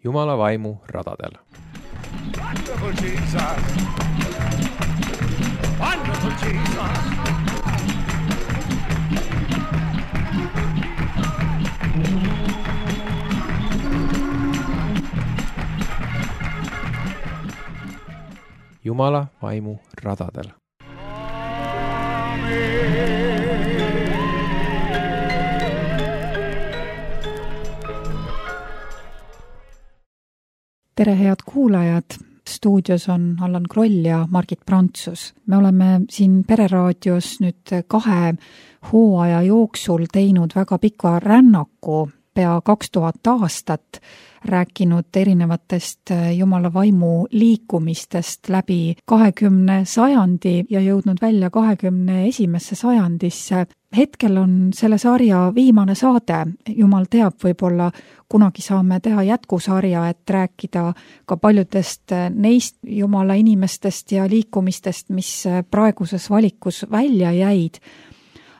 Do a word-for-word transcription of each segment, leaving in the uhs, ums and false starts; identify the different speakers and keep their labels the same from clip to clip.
Speaker 1: Jumala vaimu radadel.
Speaker 2: Wonderful Jesus. Wonderful Jesus.
Speaker 1: Jumala vaimu radadel.
Speaker 3: Tere, head kuulajad! Stuudios on Allan Kroll ja Margit Prantsus. Me oleme siin Pereraadios nüüd kahe hooaja jooksul teinud väga pika rännaku, pea kaks tuhat aastat, rääkinud erinevatest Jumala vaimu liikumistest läbi kahekümne sajandi ja jõudnud välja kahekümne esimesse sajandisse. Hetkel on selle sarja viimane saade. Jumal teab, võib-olla kunagi saame teha jätkusarja, et rääkida ka paljudest neist Jumala inimestest ja liikumistest, mis praeguses valikus välja jäid.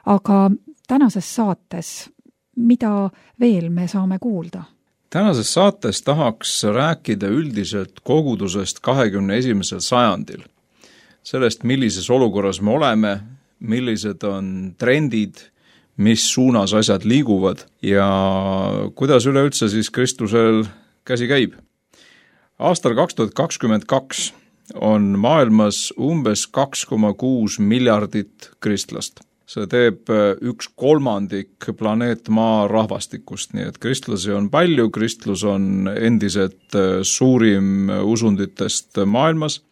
Speaker 3: Aga tänases saates, mida veel me saame kuulda?
Speaker 4: Tänases saates tahaks rääkida üldiselt kogudusest kahekümne esimesel sajandil. Sellest, millises olukorras me oleme, millised on trendid, mis suunas asjad liiguvad ja kuidas üleüldse siis Kristusel käsi käib. Aastal kaks tuhat kakskümmend kaks on maailmas umbes kaks koma kuus miljardit kristlast. See teeb üks kolmandik planeet Maa rahvastikust, nii et kristlasi on palju, kristlus on endiselt suurim usunditest maailmas.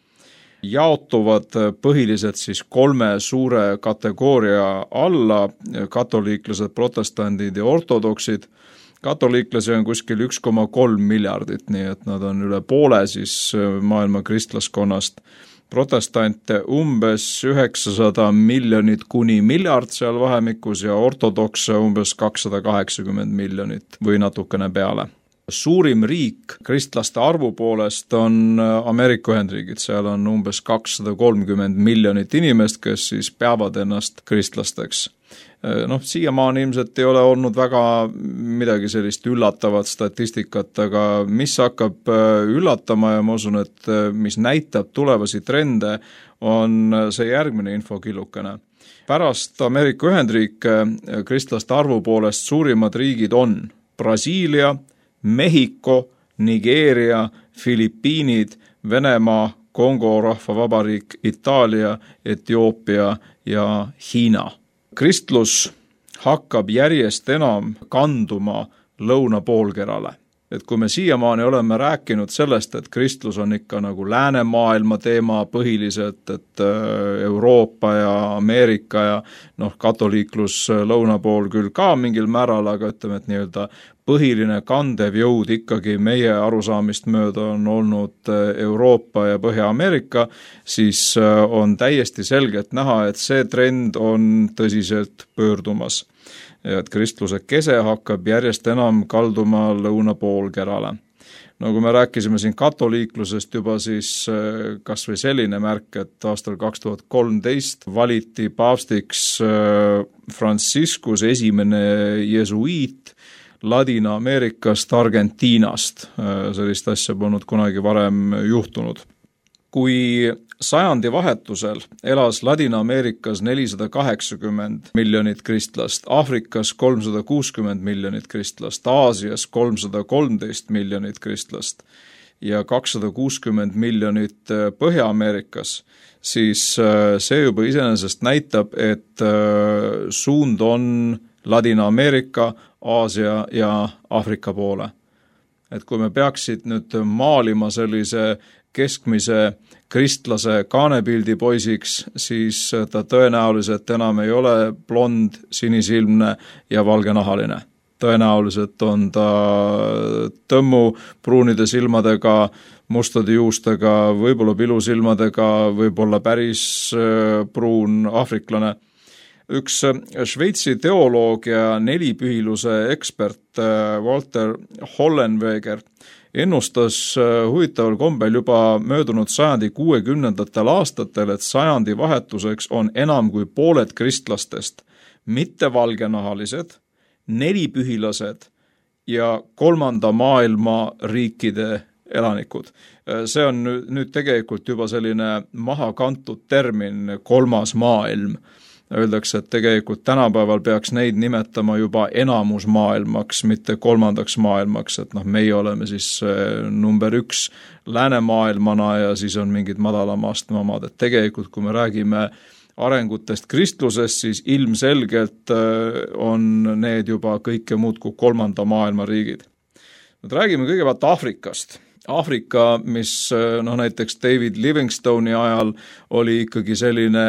Speaker 4: Jaotuvad põhiliselt siis kolme suure kategooria alla, katoliiklased, protestandid ja ortodoksid. Katoliiklasi on kuskil üks koma kolm miljardit, nii et nad on üle poole siis maailma kristlaskonnast. Protestante umbes üheksasada miljonit kuni miljard seal vahemikus ja ortodokse umbes kakssada kaheksakümmend miljonit või natukene peale. Suurim riik kristlaste arvu poolest on Ameerika Ühendriigid, seal on umbes kakssada kolmkümmend miljonit inimest, kes siis peavad ennast kristlasteks. Noh, siiamaani ilmselt ei ole olnud väga midagi sellist üllatavat statistikat, aga mis hakkab üllatama ja ma usun, et mis näitab tulevasi trende, on see järgmine infokillukene. Pärast Ameerika Ühendriike kristlaste arvu poolest suurimad riigid on Brasiilia, Mehhiko, Nigeeria, Filipiinid, Venemaa, Kongo rahvavabariik, Itaalia, Etioopia ja Hiina. Kristlus hakkab järjest enam kanduma lõunapoolkerale. Et kui me siiamaani oleme rääkinud sellest, et kristlus on ikka nagu läänemaailma teema põhiliselt, et Euroopa ja Ameerika ja noh, katoliiklus lõunapool küll ka mingil määral, aga ütleme, et nii-öelda põhiline kandev jõud ikkagi meie arusaamist mööda on olnud Euroopa ja Põhja-Ameerika, siis on täiesti selgelt näha, et see trend on tõsiselt pöördumas. Ja et kristluse kese hakkab järjest enam kalduma lõunapoolkerale. No kui me rääkisime siin katoliiklusest juba, siis kas või selline märk, et aastal kaks tuhat kolmteist valiti paavstiks Franciscus, esimene jesuiit Ladina-Ameerikast, Argentiinast. Sellist asja polnud kunagi varem juhtunud. Kui sajandi vahetusel elas Ladina-Ameerikas nelisada kaheksakümmend miljonit kristlast, Aafrikas kolmsada kuuskümmend miljonit kristlast, Aasias kolmsada kolmteist miljonit kristlast ja kakssada kuuskümmend miljonit Põhja-Ameerikas, siis see juba iseenesest näitab, et suund on Ladina-Ameerika, Aasia ja Aafrika poole. Et kui me peaksid nüüd maalima sellise keskmise kristlase kaanepildi poisiks, siis ta tõenäoliselt enam ei ole blond, sinisilmne ja valgenahaline. Tõenäoliselt on ta tõmmu pruunide silmadega, mustade juustega, võib-olla pilusilmadega, võib-olla päris pruun aafriklane. Üks Šveitsi teoloog ja nelipühiluse ekspert Walter Hollenweger ennustas huvitaval kombel juba möödunud sajandi kuuekümnendatel aastatel, et sajandi vahetuseks on enam kui pooled kristlastest mitte valgenahalised, nelipühilased ja kolmanda maailma riikide elanikud. See on nüüd tegelikult juba selline maha kantud termin kolmas maailm. Öeldakse, et tegelikult tänapäeval peaks neid nimetama juba enamus maailmaks, mitte kolmandaks maailmaks, et noh, meie oleme siis number üks läänemaailmana ja siis on mingid madalama astme omad, et tegelikult kui me räägime arengutest kristlusest, siis ilmselgelt on need juba kõike muud kui kolmanda maailma riigid. Nüüd räägime kõigepealt Aafrikast. Aafrika, mis noh, näiteks David Livingstone'i ajal oli ikkagi selline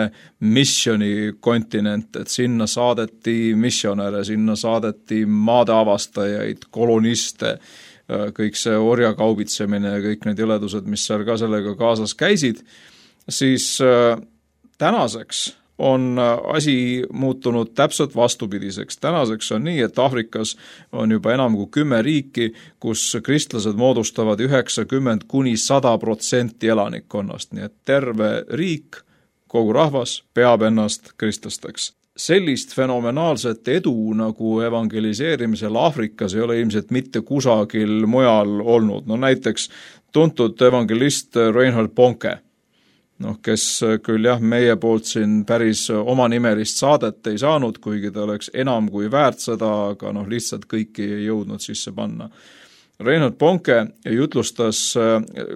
Speaker 4: missioni kontinent, et sinna saadeti missionäre, sinna saadeti maade avastajaid, koloniste, kõik see orjakaubitsemine ja kõik need jõledused, mis seal ka sellega kaasas käisid, siis tänaseks on asi muutunud täpselt vastupidiseks. Tänaseks on nii, et Aafrikas on juba enam kui kümme riiki, kus kristlased moodustavad üheksakümmend kuni sada protsenti elanikkonnast, nii et terve riik, kogu rahvas peab ennast kristlasteks. Sellist fenomenaalset edu nagu evangeliseerimisel Aafrikas ei ole ilmselt mitte kusagil mujal olnud. No näiteks tuntud evangelist Reinhard Bonke, noh, kes küll jah, meie poolt siin päris oma nimelist saadet ei saanud, kuigi ta oleks enam kui väärt seda, aga noh, lihtsalt kõiki ei jõudnud sisse panna. Reinhard Bonke jutlustas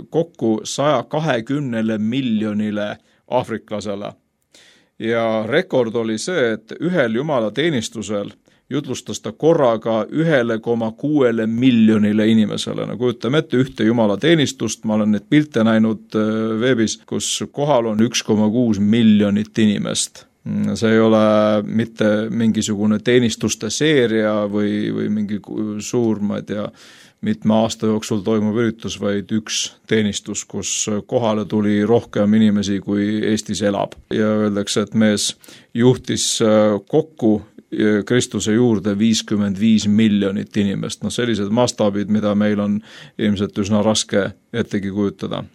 Speaker 4: kokku saja kahekümnele miljonile aafriklasele ja rekord oli see, et ühel jumala teenistusel jutlustas ta korraga ühele koma kuuele miljonile inimesele. No kujutame ette ühte jumala teenistust, ma olen neid pilte näinud veebis, kus kohal on üks koma kuus miljonit inimest. See ei ole mitte mingisugune teenistuste seeria või, või mingi suur, ma ei tea, mitme aasta jooksul toimub üritus, vaid üks teenistus, kus kohale tuli rohkem inimesi, kui Eestis elab. Ja öeldakse, et mees juhtis kokku Kristuse juurde viiskümmend viis miljonit inimest. No sellised mastaabid, mida meil on ilmselt üsna raske ettegi kujutada.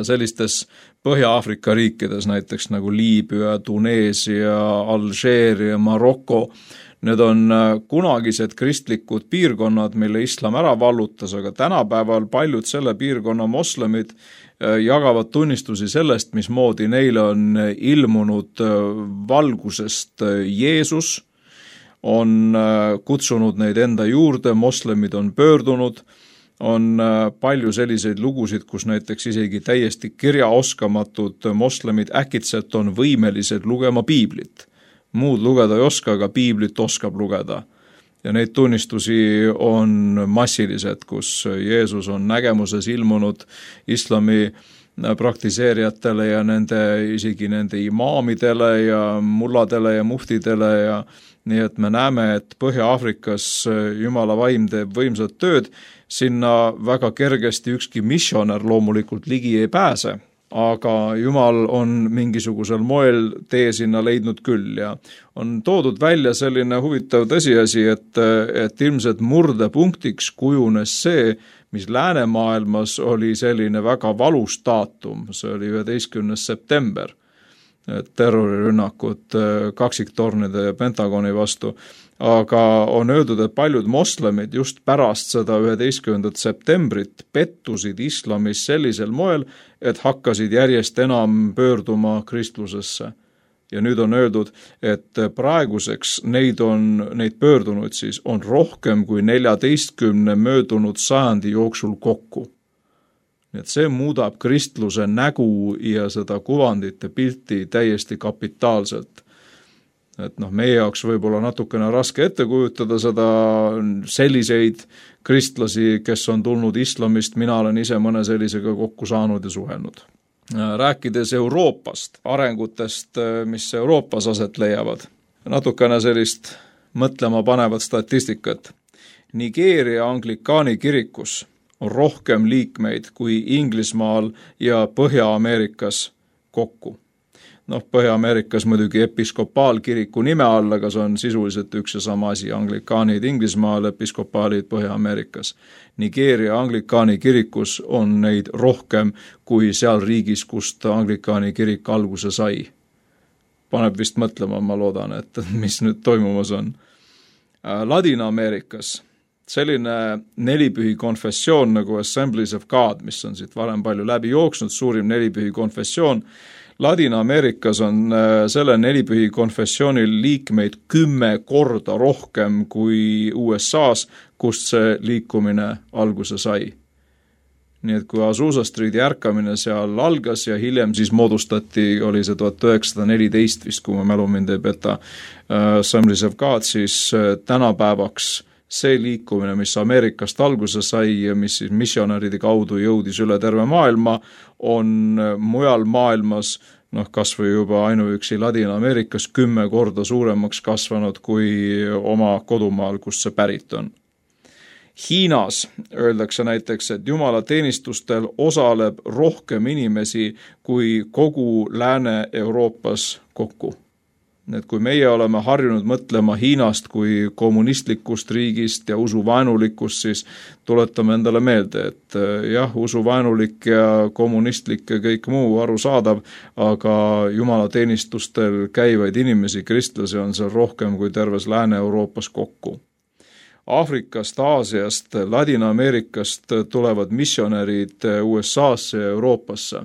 Speaker 4: Sellistes Põhja-Aafrika riikides, näiteks nagu Liibüa, Tuneesia, Alžeeria, Maroko, need on kunagised kristlikud piirkonnad, mille islam ära vallutas, aga tänapäeval paljud selle piirkonna moslemid jagavad tunnistusi sellest, mismoodi neile on ilmunud valgusest Jeesus, on kutsunud neid enda juurde, moslemid on pöördunud, on palju selliseid lugusid, kus näiteks isegi täiesti kirjaoskamatud moslemid äkitselt on võimelised lugema piiblit. Muud lugeda ei oska, aga piiblit oskab lugeda. Ja neid tunnistusi on massilised, kus Jeesus on nägemuses ilmunud islami praktiseerijatele ja nende, isegi nende imaamidele ja mulladele ja muftidele ja nii et me näeme, et Põhja-Aafrikas Jumala vaim teeb võimsat tööd, sinna väga kergesti ükski missionär loomulikult ligi ei pääse, aga Jumal on mingisugusel moel tee sinna leidnud küll ja on toodud välja selline huvitav tõsiasi, et, et ilmselt murdepunktiks kujunes see, mis läänemaailmas oli selline väga valus daatum, see oli üheteistkümnes september, terrorirünnakud kaksiktornide ja Pentagoni vastu, aga on öeldud, et paljud moslemid just pärast seda üheteistkümnendat septembrit pettusid islamis sellisel moel, et hakkasid järjest enam pöörduma kristlusesse. Ja nüüd on öeldud, et praeguseks neid on, neid pöördunud siis on rohkem kui neljateistkümne möödunud sajandi jooksul kokku. Nii et see muudab kristluse nägu ja seda kuvandite pilti täiesti kapitaalselt. Et noh, meie jaoks võib-olla natukene raske ette kujutada seda selliseid kristlasi, kes on tulnud islamist, mina olen ise mõne sellisega kokku saanud ja suhelnud. Rääkides Euroopast, arengutest, mis Euroopas aset leiavad, natukene sellist mõtlema panevat statistikat. Nigeeria anglikaani kirikus on rohkem liikmeid kui Inglismaal ja Põhja-Ameerikas kokku. Noh, Põhja-Ameerikas muidugi episkopaalkiriku nime all, aga see on sisuliselt üks ja sama asi, anglikaanid Inglismaal, episkopaalid Põhja-Ameerikas. Nigeeria anglikaani kirikus on neid rohkem kui seal riigis, kust anglikaani kirik alguse sai. Paneb vist mõtlema, ma loodan, et mis nüüd toimumas on. Ladina-Ameerikas selline nelipühi konfessioon nagu Assemblies of God, mis on siit varem palju läbi jooksnud, suurim nelipühi konfessioon. Ladina-Ameerikas on selle nelipühi konfessiooni liikmeid kümme korda rohkem kui U S A-s, kust see liikumine alguse sai. Nii et kui Azusa Streeti ärkamine seal algas ja hiljem siis moodustati, oli see tuhat üheksasada neliteist vist, kui ma mälu mind ei peta, Assemblies of God, siis tänapäevaks see liikumine, mis Ameerikast alguse sai ja mis siis missionäride kaudu jõudis üle terve maailma, on mujal maailmas, noh, kas või juba ainuüksi Ladina-Ameerikas kümme korda suuremaks kasvanud kui oma kodumaal, kust see pärit on. Hiinas öeldakse näiteks, et jumalateenistustel osaleb rohkem inimesi kui kogu Lääne-Euroopas kokku. Et kui meie oleme harjunud mõtlema Hiinast kui kommunistlikust riigist ja usuvaenulikust, siis tuletame endale meelde, et jah, usuvaenulik ja kommunistlik ja kõik muu arusaadav, aga jumalateenistustel käivaid inimesi, kristlasi on seal rohkem kui terves Lääne-Euroopas kokku. Aafrikast, Aasiast, Ladina-Ameerikast tulevad missionärid U S A-sse ja Euroopasse.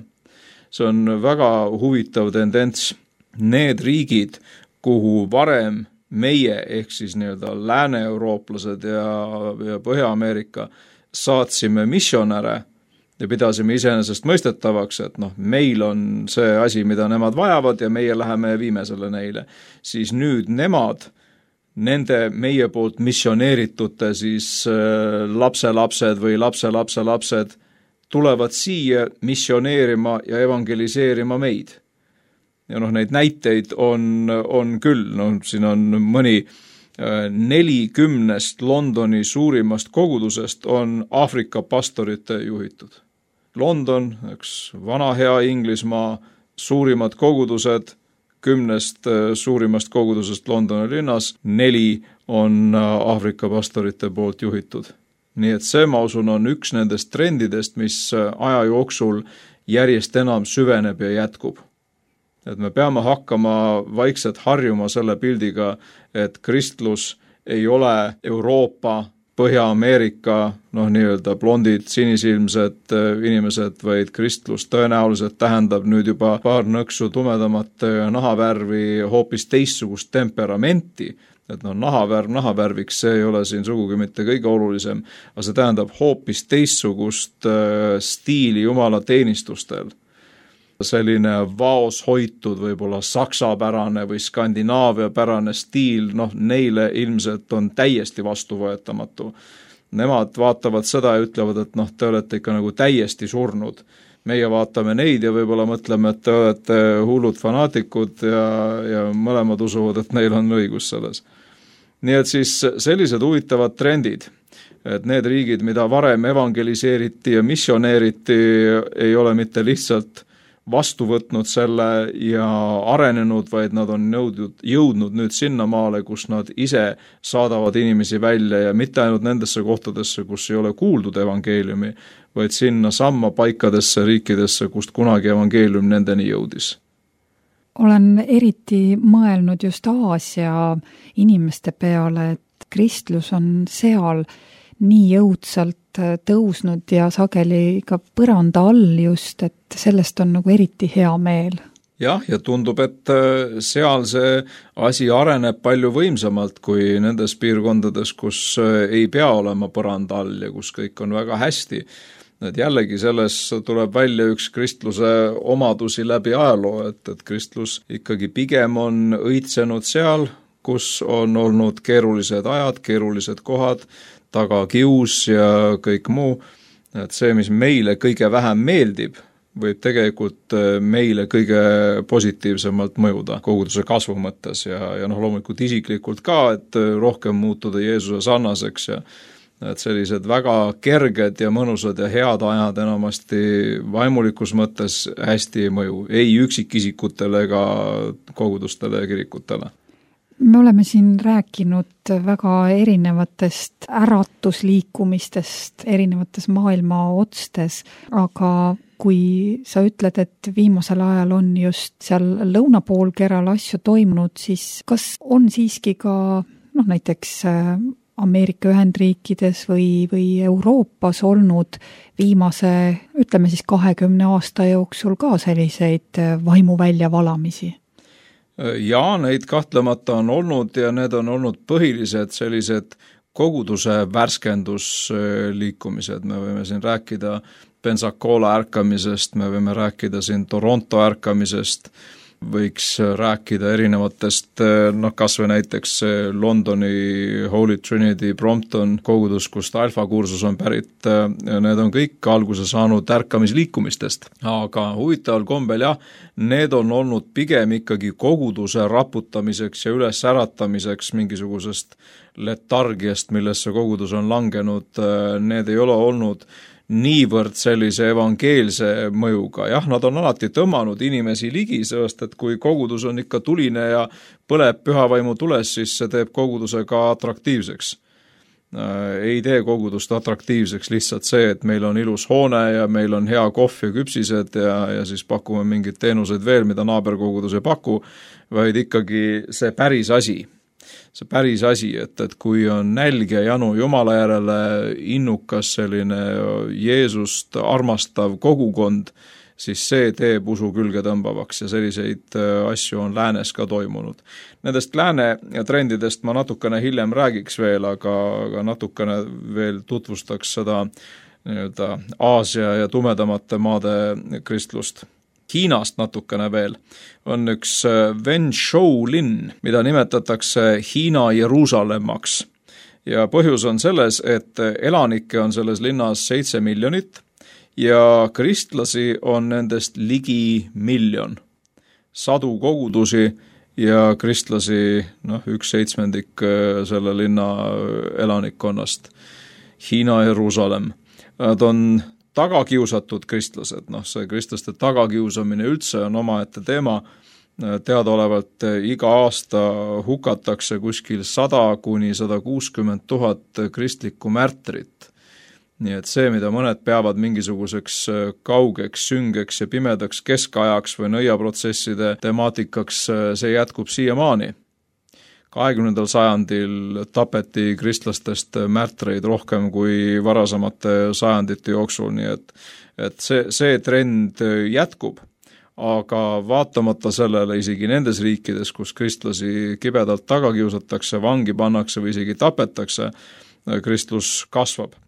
Speaker 4: See on väga huvitav tendents. Need riigid, kuhu varem meie ehk siis nii-öelda lääne-eurooplased ja, ja Põhja-Ameerika saatsime missionäre ja pidasime iseenesest mõistetavaks, et noh, meil on see asi, mida nemad vajavad ja meie läheme ja viime selle neile. Siis nüüd nemad nende meie poolt missioneeritute siis lapselapsed või lapselapselapsed tulevad siia missioneerima ja evangeliseerima meid. Ja noh, neid näiteid on, on küll, no siin on mõni nelikümnest Londoni suurimast kogudusest on Aafrika pastorite juhitud. London, üks vana hea Inglismaa, suurimad kogudused, kümnest suurimast kogudusest Londoni linnas, neli on Aafrika pastorite poolt juhitud. Nii et see, ma usun, on üks nendest trendidest, mis aja jooksul järjest enam süveneb ja jätkub. Et me peame hakkama vaikselt harjuma selle pildiga, et kristlus ei ole Euroopa, Põhja-Ameerika, noh nii-öelda blondid, sinisilmsed inimesed, vaid kristlus tõenäoliselt tähendab nüüd juba paar nõksu tumedamat nahavärvi, hoopis teistsugust temperamenti, et no nahavärv nahavärviks, see ei ole siin sugugi mitte kõige olulisem, aga see tähendab hoopis teistsugust stiili jumala teenistustel. Selline vaos hoitud, võib-olla saksapärane või Skandinaavia pärane stiil, noh neile ilmselt on täiesti vastuvõetamatu. Nemad vaatavad seda ja ütlevad, et noh, te olete ikka nagu täiesti surnud. Meie vaatame neid ja võib-olla mõtleme, et te olete hullud fanaatikud ja, ja mõlemad usuvad, et neil on õigus selles. Nii et siis sellised huvitavad trendid, et need riigid, mida varem evangeliseeriti ja missioneeriti, ei ole mitte lihtsalt vastu võtnud selle ja arenenud, vaid nad on jõudnud, jõudnud nüüd sinna maale, kus nad ise saadavad inimesi välja ja mitte ainult nendesse kohtadesse, kus ei ole kuuldud evangeeliumi, vaid sinna samma paikadesse riikidesse, kust kunagi evangeelium nendeni jõudis.
Speaker 3: Olen eriti mõelnud just Aasia inimeste peale, et kristlus on seal nii jõudsalt tõusnud ja sageli ka põranda all just, et sellest on nagu eriti hea meel.
Speaker 4: Jah, ja tundub, et seal see asi areneb palju võimsamalt kui nendes piirkondades, kus ei pea olema põranda all ja kus kõik on väga hästi. Et jällegi selles tuleb välja üks kristluse omadusi läbi ajaloo, et, et kristlus ikkagi pigem on õitsenud seal, kus on olnud keerulised ajad, keerulised kohad, taga kius ja kõik muu, et see, mis meile kõige vähem meeldib, võib tegelikult meile kõige positiivsemalt mõjuda koguduse kasvu mõttes ja, ja noh, loomulikult isiklikult ka, et rohkem muutuda Jeesuse sarnaseks ja et sellised väga kerged ja mõnusad ja head ajad enamasti vaimulikus mõttes hästi ei mõju, ei üksikisikutele ega kogudustele ja kirikutele.
Speaker 3: Me oleme siin rääkinud väga erinevatest äratusliikumistest erinevates maailma otstes, aga kui sa ütled, et viimasel ajal on just seal lõunapoolkeral asju toimunud, siis kas on siiski ka noh, näiteks Ameerika Ühendriikides või, või Euroopas olnud viimase, ütleme siis kahekümne aasta jooksul ka selliseid vaimu väljavalamisi?
Speaker 4: Jaa, neid kahtlemata on olnud ja need on olnud põhilised sellised koguduse värskendusliikumised. Me võime siin rääkida Pensacola ärkamisest, me võime rääkida siin Toronto ärkamisest, võiks rääkida erinevatest, noh kas või näiteks Londoni Holy Trinity Brompton kogudus, kust alfa kursus on pärit, need on kõik alguse saanud ärkamisliikumistest. Aga huvitaval kombel jah, need on olnud pigem ikkagi koguduse raputamiseks ja üles äratamiseks mingisugusest letargiast, millesse kogudus on langenud, need ei ole olnud niivõrd sellise evangeelse mõjuga. Jah, nad on alati tõmmanud inimesi ligi, sest et kui kogudus on ikka tuline ja põleb pühavaimu tules, siis see teeb koguduse ka atraktiivseks. Ei tee kogudust atraktiivseks lihtsalt see, et meil on ilus hoone ja meil on hea kohv ja küpsised ja, ja siis pakume mingeid teenuseid veel, mida naaberkogudus ei paku, vaid ikkagi see päris asi. See päris asi, et, et kui on nälg ja janu Jumala järele innukas selline Jeesust armastav kogukond, siis see teeb usu külge tõmbavaks ja selliseid asju on läänes ka toimunud. Nendest lääne trendidest ma natukene hiljem räägiks veel, aga, aga natukene veel tutvustaks seda nii-öelda Aasia ja tumedamate maade kristlust. Hiinast natukene veel on üks Wenzhou linn, mida nimetatakse Hiina Jeruusalemmaks. Ja põhjus on selles, et elanikke on selles linnas seitse miljonit ja kristlasi on nendest ligi miljon. Sadu kogudusi ja kristlasi, noh, üks seitsmendik selle linna elanikkonnast. Hiina Jeruusalem. Nad on tagakiusatud kristlased, noh see kristlaste tagakiusamine üldse on omaette teema, teadaolevalt iga aasta hukatakse kuskil sada kuni sada kuuskümmend tuhat kristlikku märtrit. Nii et see, mida mõned peavad mingisuguseks kaugeks, süngeks ja pimedaks keskajaks või nõiaprotsesside temaatikaks, see jätkub siiamaani. kahekümnendal sajandil tapeti kristlastest märtreid rohkem kui varasemate sajandite jooksul, nii et, et see, see trend jätkub. Aga vaatamata sellele isegi nendes riikides, kus kristlasi kibedalt taga kiusatakse, vangi pannakse või isegi tapetakse, kristlus kasvab.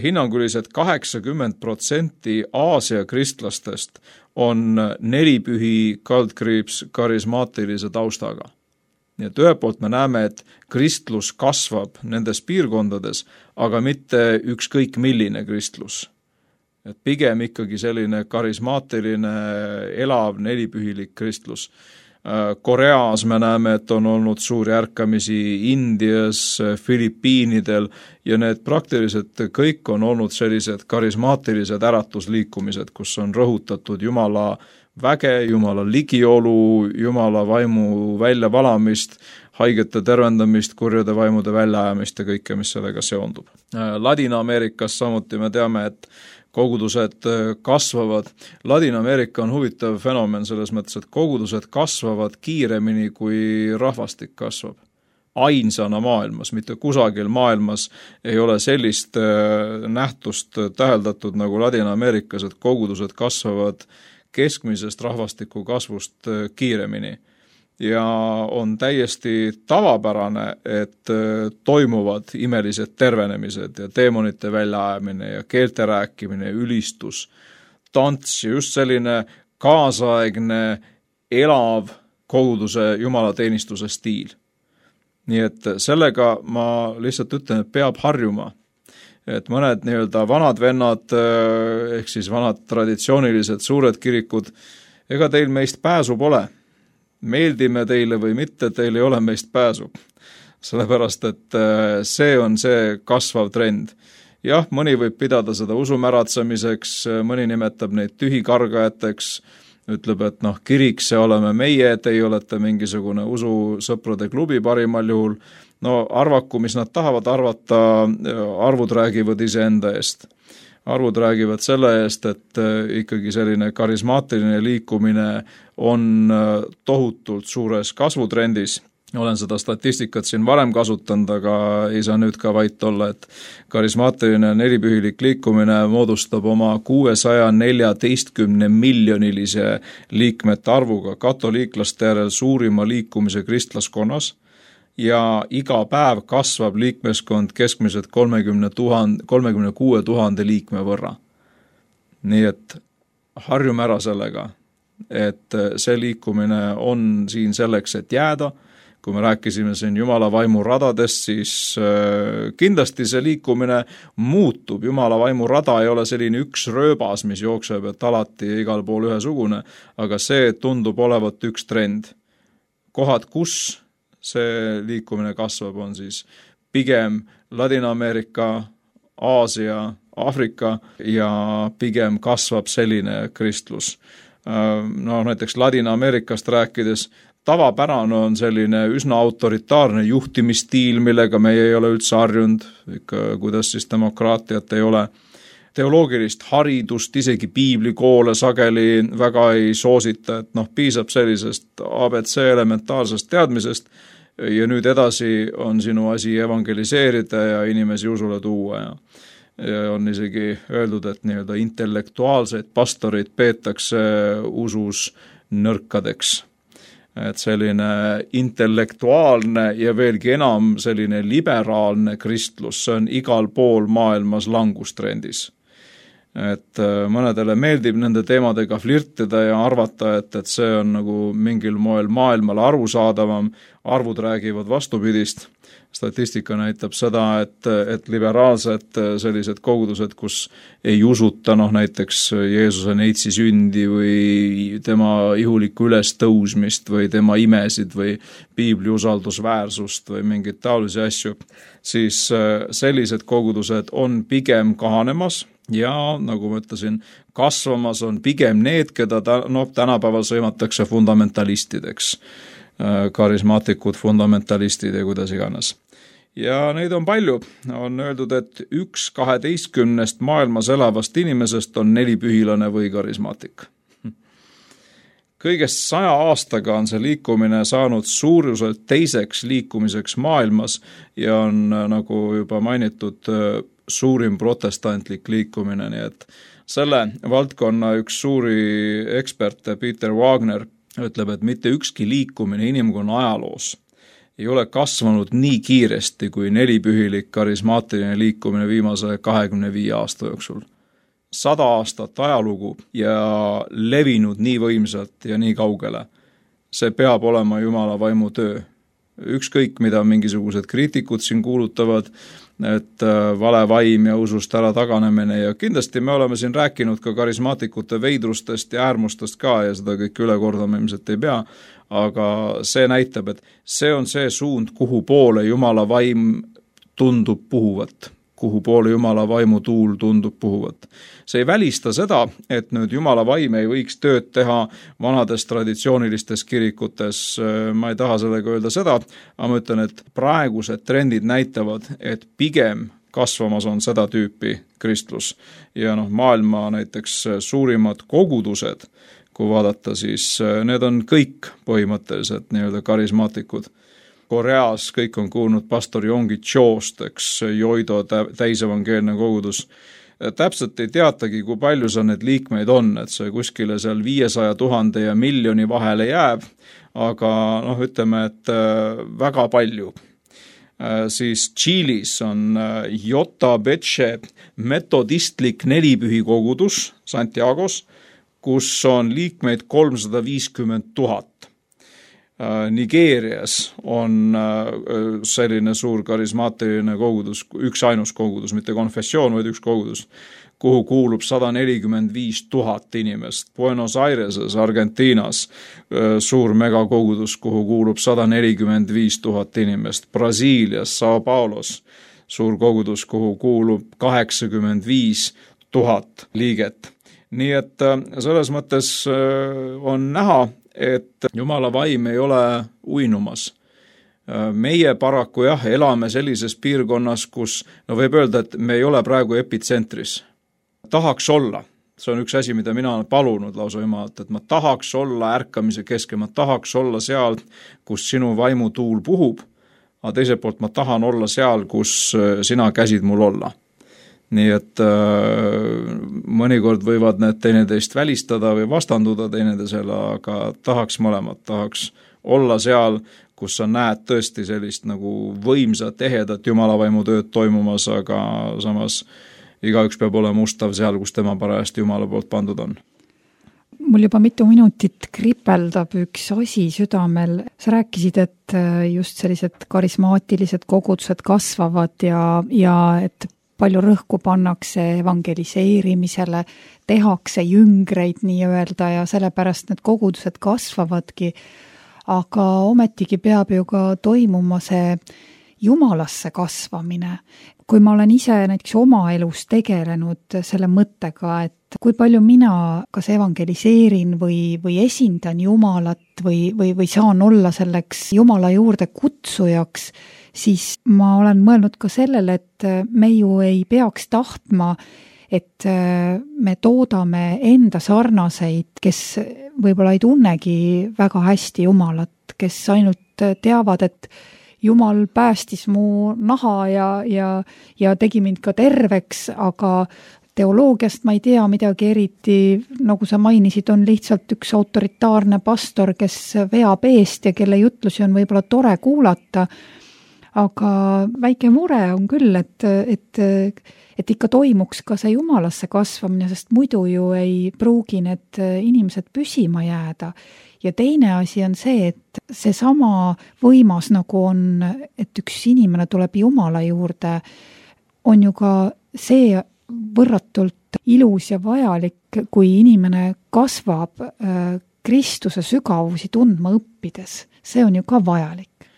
Speaker 4: Hinnanguliselt kaheksakümmend protsenti Aasia kristlastest on nelipühi kaldkriips karismaatilise taustaga. Nii et ühe poolt me näeme, et kristlus kasvab nendes piirkondades, aga mitte ükskõik milline kristlus. Et pigem ikkagi selline karismaatiline, elav, nelipühilik kristlus. Koreas me näeme, et on olnud suuri ärkamisi Indias, Filipiinidel ja need praktiliselt kõik on olnud sellised karismaatilised äratusliikumised, kus on rõhutatud Jumala väge, Jumala ligiolu, Jumala vaimu väljavalamist, haigete tervendamist, kurjade vaimude väljaajamist ja kõike, mis sellega seondub. Ladina-Ameerikas samuti me teame, et kogudused kasvavad. Ladina-Ameerika on huvitav fenomen selles mõttes, et kogudused kasvavad kiiremini, kui rahvastik kasvab. Ainsana maailmas, mitte kusagil maailmas ei ole sellist nähtust täheldatud nagu Ladina-Ameerikas, et kogudused kasvavad keskmisest rahvastiku kasvust kiiremini. Ja on täiesti tavapärane, et toimuvad imelised tervenemised ja teemonite väljaajamine ja keelte rääkimine, ülistus, tants ja just selline kaasaegne, elav koguduse jumalateenistuse stiil. Nii et sellega ma lihtsalt ütlen, et peab harjuma. Et mõned nii-öelda vanad vennad, ehk siis vanad traditsioonilised suured kirikud, ega teil meist pääsu pole. Meeldime teile või mitte, teil ei ole meist pääsu. Sellepärast, et see on see kasvav trend. Jah, mõni võib pidada seda usumäratsemiseks, mõni nimetab neid tühikargajateks, ütleb, et noh, kirik, see oleme meie, teie olete mingisugune ususõprade klubi parimal juhul. No arvaku, mis nad tahavad arvata, arvud räägivad iseenda eest. Arvud räägivad selle eest, et ikkagi selline karismaatiline liikumine on tohutult suures kasvutrendis olen seda statistikat siin varem kasutanud, aga ei saa nüüd ka vait olla, et karismaatiline nelipühilik liikumine moodustab oma kuuesaja neljateistkümne miljonilise liikmete arvuga katoliiklaste järel suurima liikumise kristlaskonnas ja iga päev kasvab liikmeskond keskmiselt kolmekümne tuhande, kolmekümne kuue tuhande liikme võrra. Nii et harjume ära sellega, et see liikumine on siin selleks, et jääda. Kui me rääkisime siin Jumala vaimu radadest, siis kindlasti see liikumine muutub. Jumala vaimu rada ei ole selline üks rööbas, mis jookseb, et alati igal pool ühesugune, aga see tundub olevat üks trend. Kohad, kus see liikumine kasvab, on siis pigem Ladina-Ameerika, Aasia, Aafrika ja pigem kasvab selline kristlus. No näiteks Ladina-Ameerikast rääkides, tavapärane on selline üsna autoritaarne juhtimisstiil, millega meie ei ole üldse harjunud, ikka kuidas siis demokraatiat ei ole. Teoloogilist haridust, isegi piiblikoole sageli väga ei soosita, et noh, piisab sellisest A B C elementaarsest teadmisest ja nüüd edasi on sinu asi evangeliseerida ja inimesi usule tuua ja Ja on isegi öeldud, et nii-öelda intellektuaalseid pastorid peetakse usus nõrkadeks. Et selline intellektuaalne ja veelgi enam selline liberaalne kristlus, see on igal pool maailmas langustrendis. Et mõnedele meeldib nende teemadega flirtida ja arvata, et, et see on nagu mingil moel maailmale arusaadavam, arvud räägivad vastupidist. Statistika näitab seda, et, et liberaalsed sellised kogudused, kus ei usuta noh, näiteks Jeesuse neitsi sündi või tema ihulikku ülestõusmist või tema imesid või piibli usaldusväärsust või mingeid taolisi asju, siis sellised kogudused on pigem kahanemas ja nagu ma ütlesin, kasvamas on pigem need, keda ta, no, tänapäeval sõimatakse fundamentalistideks, karismaatikud, fundamentalistid ja kuidas iganes. Ja neid on palju. On öeldud, et üks kaheteistkümnest maailmas elavast inimesest on nelipühilane või karismaatik. Kõigest saja aastaga on see liikumine saanud suuruselt teiseks liikumiseks maailmas ja on, nagu juba mainitud, suurim protestantlik liikumine, nii et selle valdkonna üks suuri eksperte, Peter Wagner, ütleb, et mitte ükski liikumine inimkonna ajaloos ei ole kasvanud nii kiiresti kui nelipühilik karismaatiline liikumine viimase kahekümne viie aasta jooksul. Sada aastat ajalugu ja levinud nii võimsalt ja nii kaugele. See peab olema Jumala vaimu töö. Ükskõik, mida mingisugused kriitikud siin kuulutavad, et vale vaim ja usust ära taganemine ja kindlasti me oleme siin rääkinud ka karismaatikute veidrustest ja äärmustest ka ja seda kõik üle kordama ilmselt ei pea, aga see näitab, et see on see suund, kuhu poole Jumala vaim tundub puhuvat, kuhu poole Jumala vaimu tuul tundub puhuvat. See ei välista seda, et nüüd Jumala vaim ei võiks tööd teha vanades traditsioonilistes kirikutes. Ma ei taha sellega öelda seda, aga ma ütlen, et praegused trendid näitavad, et pigem kasvamas on seda tüüpi kristlus. Ja noh, maailma näiteks suurimad kogudused, kui vaadata, siis need on kõik põhimõtteliselt nii-öelda karismaatikud. Koreas kõik on kuulnud pastor Yonggi Chost, eks Joido täisevangeelne kogudus. Täpselt ei teatagi, kui palju seal need liikmeid on, et see kuskile seal viiesaja tuhande ja miljoni vahele jääb, aga noh, ütleme, et väga palju. Siis Tšiilis on Jota Betše metodistlik nelipühi kogudus Santiagos, kus on liikmeid kolmsada viiskümmend tuhat. Nigeerias on selline suur karismaatiline kogudus, üks ainus kogudus, mitte konfessioon, vaid üks kogudus, kuhu kuulub sada nelikümmend viis tuhat inimest. Buenos Aireses, Argentiinas, suur megakogudus, kuhu kuulub sada nelikümmend viis tuhat inimest. Brasiilias, Sao Paulos, suur kogudus, kuhu kuulub kaheksakümmend viis tuhat liiget. Nii et selles mõttes on näha, et Jumala vaim ei ole uinumas. Meie paraku jah, elame sellises piirkonnas, kus no võib öelda, et me ei ole praegu epitsentris. Tahaks olla, see on üks asi, mida mina olen palunud lausa Jumalalt, et ma tahaks olla ärkamise keskel, ma tahaks olla seal, kus sinu vaimutuul puhub, aga teiselt poolt ma tahan olla seal, kus sina käsid mul olla. Nii et äh, mõnikord võivad need teineteist välistada või vastanduda teineteisele, aga tahaks mõlemat, tahaks olla seal, kus sa näed tõesti sellist nagu võimsat, ehedat Jumalavaimu tööd toimumas, aga samas igaüks peab olema ustav seal, kus tema parajasti Jumala poolt pandud on.
Speaker 3: Mul juba mitu minutit kripeldab üks asi südamel. Sa rääkisid, et just sellised karismaatilised kogudused kasvavad ja, ja et palju rõhku pannakse evangeliseerimisele, tehakse jüngreid nii-öelda ja sellepärast need kogudused kasvavadki, aga ometigi peab ju ka toimuma see Jumalasse kasvamine. Kui ma olen ise näiteks oma elus tegelenud selle mõttega, et kui palju mina kas evangeliseerin või, või esindan Jumalat või, või, või saan olla selleks Jumala juurde kutsujaks, siis ma olen mõelnud ka sellele, et me ju ei peaks tahtma, et me toodame enda sarnaseid, kes võib-olla ei tunnegi väga hästi Jumalat, kes ainult teavad, et Jumal päästis mu naha ja, ja, ja tegi mind ka terveks, aga teoloogiast ma ei tea midagi eriti, nagu sa mainisid, on lihtsalt üks autoritaarne pastor, kes veab eest ja kelle jutlusi on võib-olla tore kuulata, aga väike mure on küll, et, et, et ikka toimuks ka see Jumalasse kasvamine, sest muidu ju ei pruugi need inimesed püsima jääda. Ja teine asi on see, et see sama võimas nagu on, et üks inimene tuleb Jumala juurde, on ju ka see võrratult ilus ja vajalik, kui inimene kasvab Kristuse sügavusi tundma õppides. See on ju ka vajalik.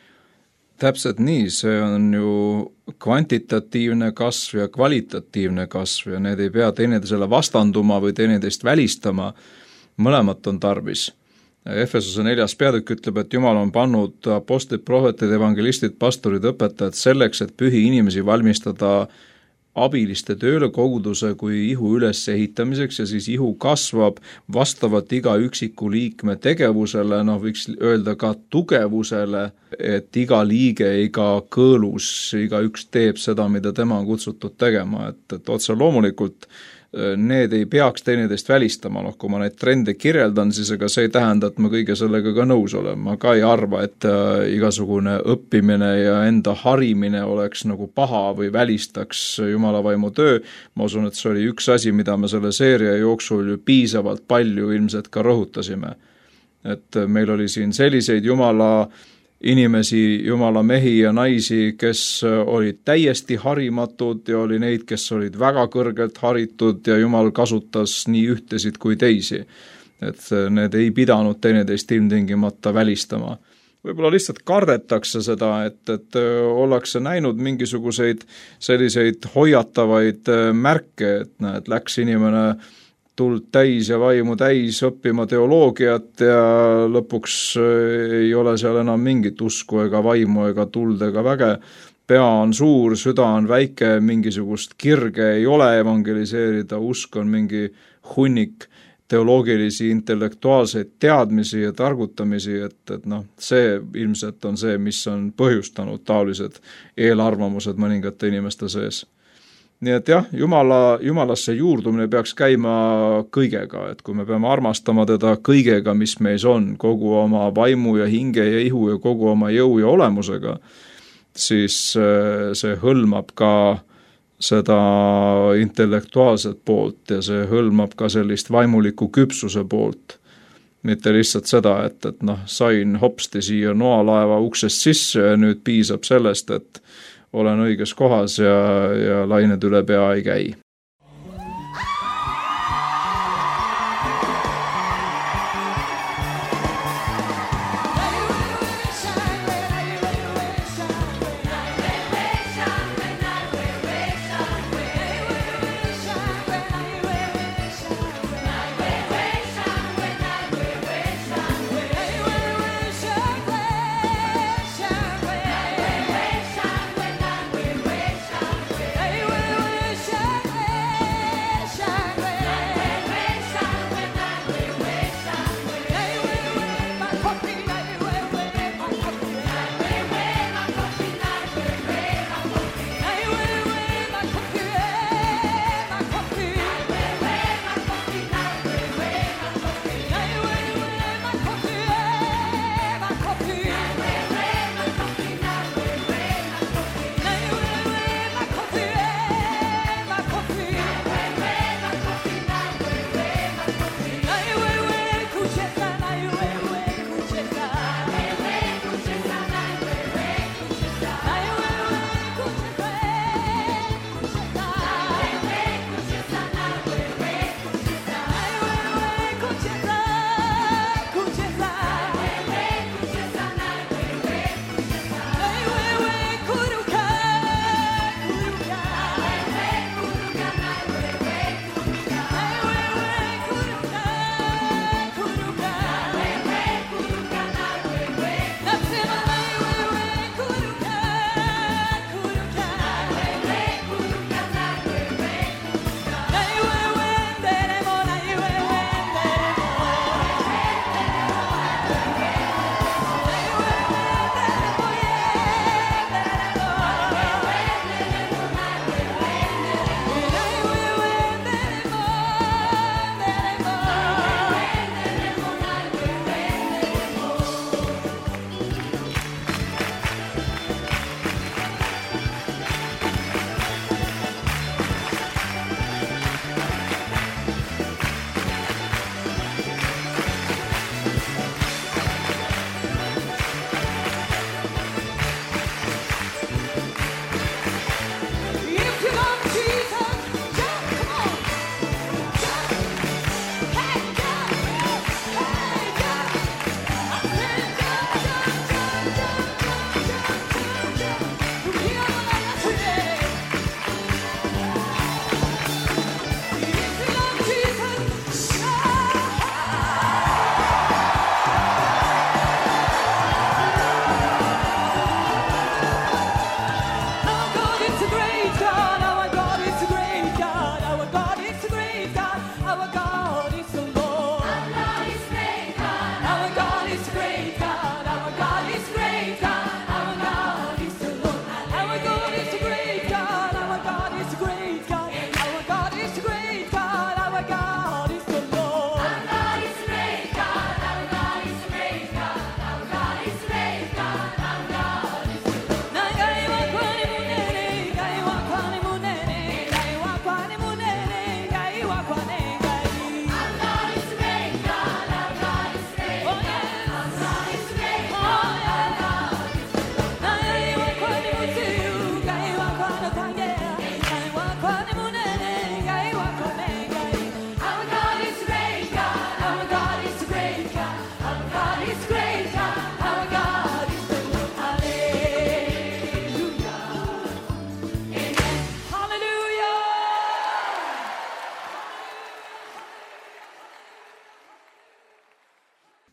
Speaker 4: Täpselt nii, see on ju kvantitatiivne kasv ja kvalitatiivne kasv ja need ei pea teineteisele vastanduma või teineteist välistama, mõlemat on tarvis. Efesuse neljas peatükk ütleb, et Jumal on pannud apostlid, prohvetid, evangelistid, pastorid, õpetajad selleks, et pühi inimesi valmistada abiliste tööle koguduse kui ihu üles ehitamiseks ja siis ihu kasvab vastavalt iga üksiku liikme tegevusele, noh võiks öelda ka tugevusele, et iga liige, iga kõõlus, iga üks teeb seda, mida tema on kutsutud tegema, et, et otse loomulikult need ei peaks teineteist välistama, noh kui ma neid trende kirjeldan, siis ega see ei tähenda, et ma kõige sellega ka nõus olen. Ma ka ei arva, et igasugune õppimine ja enda harimine oleks nagu paha või välistaks Jumalavaimu töö. Ma usun, et see oli üks asi, mida me selle seeria jooksul ju piisavalt palju ilmselt ka rõhutasime. Et meil oli siin selliseid Jumala inimesi, Jumala mehi ja naisi, kes olid täiesti harimatud ja oli neid, kes olid väga kõrgelt haritud ja Jumal kasutas nii ühtesid kui teisi. Et need ei pidanud teineteist ilmtingimata välistama. Võib-olla lihtsalt kardetakse seda, et, et ollakse näinud mingisuguseid selliseid hoiatavaid märke, et näed, läks inimene tuld täis ja vaimu täis õppima teoloogiat ja lõpuks ei ole seal enam mingit usku ega vaimu ega tuld ega väge. Pea on suur, süda on väike, mingisugust kirge ei ole evangeliseerida, usk on mingi hunnik teoloogilisi, intellektuaalseid teadmisi ja targutamisi, et, et noh, see ilmselt on see, mis on põhjustanud taolised eelarvamused mõningate inimeste sees. Nii et jah, Jumala, Jumalasse juurdumine peaks käima kõigega, et kui me peame armastama teda kõigega, mis meis on, kogu oma vaimu ja hinge ja ihu ja kogu oma jõu ja olemusega, siis see hõlmab ka seda intellektuaalset poolt ja see hõlmab ka sellist vaimuliku küpsuse poolt. Mitte lihtsalt seda, et, et noh, sain hopsti siia noalaeva uksest sisse ja nüüd piisab sellest, et olen õiges kohas ja, ja lained üle pea ei käi.
Speaker 5: Hey,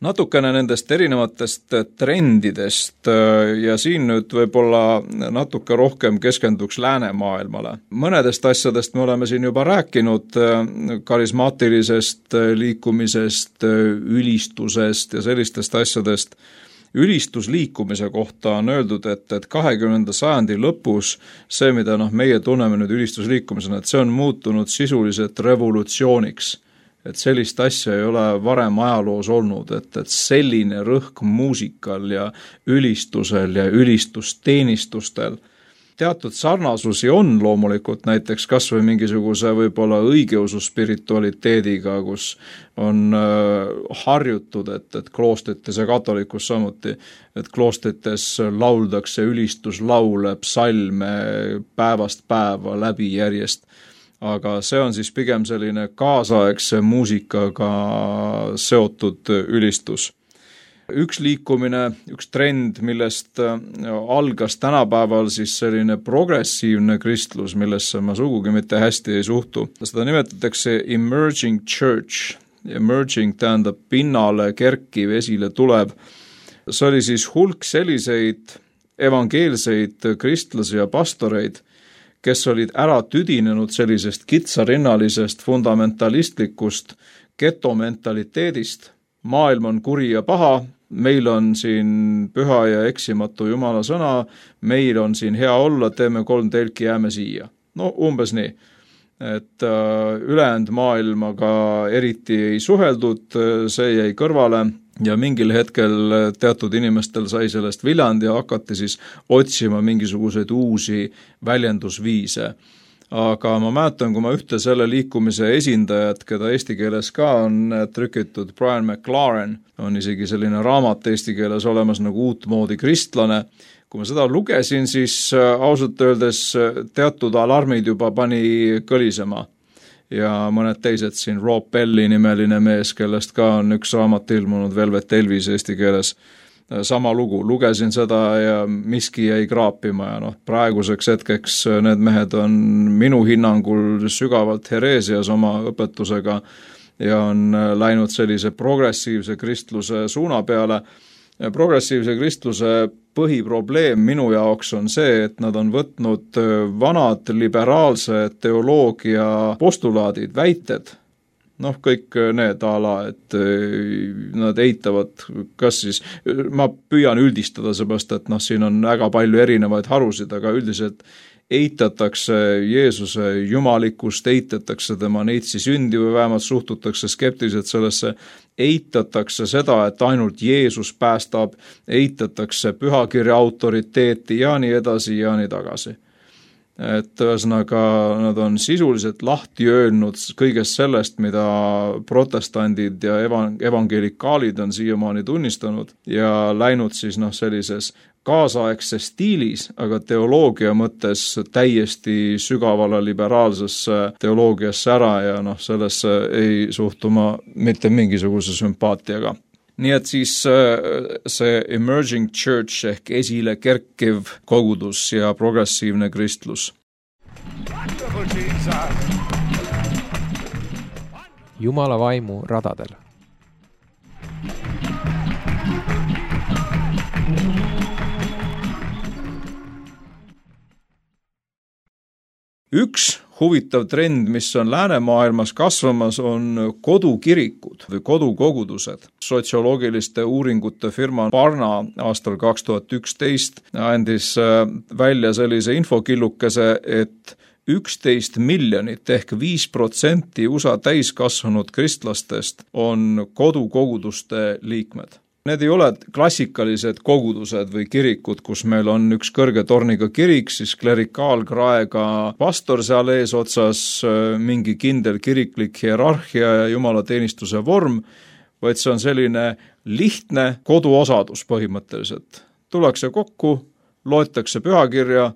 Speaker 4: Natukene nendest erinevatest trendidest ja siin nüüd võib-olla natuke rohkem keskenduks läänemaailmale. Mõnedest asjadest me oleme siin juba rääkinud, karismaatilisest liikumisest, ülistusest ja sellistest asjadest. Ülistusliikumise kohta on öeldud, et, et kahekümnenda sajandi lõpus see, mida noh, meie tunneme nüüd ülistusliikumisena, et see on muutunud sisuliselt revolutsiooniks. Et sellist asja ei ole varem ajaloos olnud, et, et selline rõhk muusikal ja ülistusel ja ülistusteenistustel. Teatud sarnasusi on loomulikult näiteks kas või mingisuguse võib-olla õigeusu spiritualiteediga, kus on äh, harjutud, et, et kloostrites ja katolikus samuti, et kloostrites lauldakse ülistuslaule, psalme päevast päeva läbi järjest. Aga see on siis pigem selline kaasaegse muusikaga seotud ülistus. Üks liikumine, üks trend, millest algas tänapäeval siis selline progressiivne kristlus, millesse ma sugugi mitte hästi ei suhtu. Seda nimetatakse emerging church. Emerging tähendab pinnale kerkiv, esile tulev. See oli siis hulk selliseid evangeelseid kristlasi ja pastoreid, kes olid ära tüdinenud sellisest kitsarinnalisest fundamentalistlikust getomentaliteedist. Maailm on kuri ja paha, meil on siin püha ja eksimatu Jumala sõna, meil on siin hea olla, teeme kolm telki, jääme siia. No umbes nii, et ülejäänud maailmaga eriti ei suheldud, see jäi kõrvale. Ja mingil hetkel teatud inimestel sai sellest viljand ja hakati siis otsima mingisuguseid uusi väljendusviise. Aga ma mäletan, kui ma ühte selle liikumise esindajat, keda eesti keeles ka on trükitud, Brian McLaren, on isegi selline raamat eesti keeles olemas nagu uutmoodi kristlane. Kui ma seda lugesin, siis ausalt öeldes teatud alarmid juba pani kõlisema. Ja mõned teised siin, Rob Belli nimeline mees, kellest ka on üks raamat ilmunud, Velvet Elvis eesti keeles, sama lugu. Lugesin seda ja miski jäi kraapima ja noh, praeguseks hetkeks need mehed on minu hinnangul sügavalt hereesias oma õpetusega ja on läinud sellise progressiivse kristluse suuna peale. Progressiivse kristluse põhiprobleem minu jaoks on see, et nad on võtnud vanad liberaalse teoloogia postulaadid, väited, noh kõik need ala, et nad eitavad, kas siis, ma püüan üldistada seepärast, et noh, siin on väga palju erinevaid harusid, aga üldiselt eitatakse Jeesuse jumalikkust, eitatakse tema neitsi sündi või vähemalt suhtutakse skeptiliselt sellesse, eitatakse seda, et ainult Jeesus päästab, eitatakse pühakirja autoriteeti ja nii edasi ja nii tagasi. Et ühesõnaga nad on sisuliselt lahti öelnud kõigest sellest, mida protestandid ja evangelikaalid on siiamaani tunnistanud ja läinud siis noh sellises kaasaegses stiilis, aga teoloogia mõttes täiesti sügavale liberaalsesse teoloogiasse ära ja noh, sellesse ei suhtu ma mitte mingisuguse sümpaatiaga. Nii et siis see emerging church ehk esile kerkiv kogudus ja progressiivne kristlus.
Speaker 1: Jumala vaimu radadel.
Speaker 4: Üks huvitav trend, mis on läänemaailmas kasvamas, on kodukirikud või kodukogudused. Sotsioloogiliste uuringute firma Barna aastal kaks tuhat üksteist andis välja sellise infokillukese, et üksteist miljonit ehk viis protsenti U S A täiskasvanud kristlastest on kodukoguduste liikmed. Need ei ole klassikalised kogudused või kirikud, kus meil on üks kõrge torniga kirik, siis klerikaalkraega pastor seal ees otsas, mingi kindel kiriklik hierarhia ja jumalateenistuse vorm, vaid see on selline lihtne koduosadus põhimõtteliselt. Tullakse kokku, loetakse pühakirja,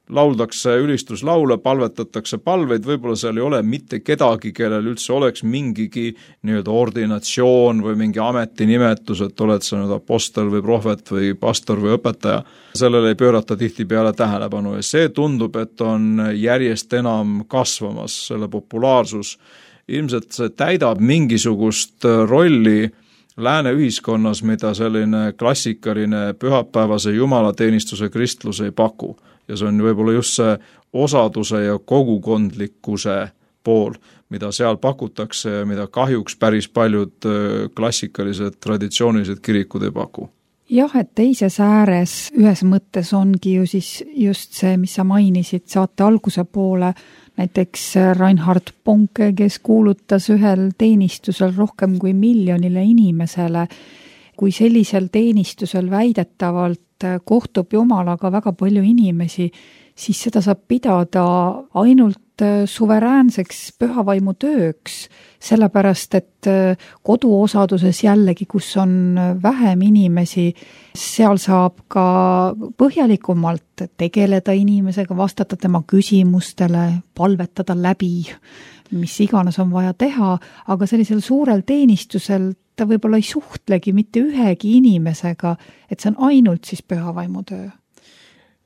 Speaker 4: lauldakse ülistuslaule, palvetatakse palveid, võib-olla seal ei ole mitte kedagi, kellel üldse oleks mingigi nii-öelda ordinatsioon või mingi ametinimetus, et oled sa nüüd apostel või prohvet või pastor või õpetaja. Sellele ei pöörata tihtipeale tähelepanu ja see tundub, et on järjest enam kasvamas selle populaarsus. Ilmselt see täidab mingisugust rolli lääne ühiskonnas, mida selline klassikaline pühapäevase jumalateenistuse kristlus ei paku. Ja see on võib-olla just see osaduse ja kogukondlikkuse pool, mida seal pakutakse ja mida kahjuks päris paljud klassikalised traditsioonilised kirikud ei paku.
Speaker 3: Jah, et teises ääres ühes mõttes ongi ju siis just see, mis sa mainisid saate alguse poole, näiteks Reinhard Bonke, kes kuulutas ühel teenistusel rohkem kui miljonile inimesele, kui sellisel teenistusel väidetavalt kohtub Jumalaga väga palju inimesi, siis seda saab pidada ainult suveräänseks pühavaimu tööks, sellepärast et koduosaduses jällegi, kus on vähem inimesi, seal saab ka põhjalikumalt tegeleda inimesega, vastata tema küsimustele, palvetada läbi, mis iganes on vaja teha, aga sellisel suurel teenistusel ta võib-olla ei suhtlegi mitte ühegi inimesega, et see on ainult siis pühavaimu töö.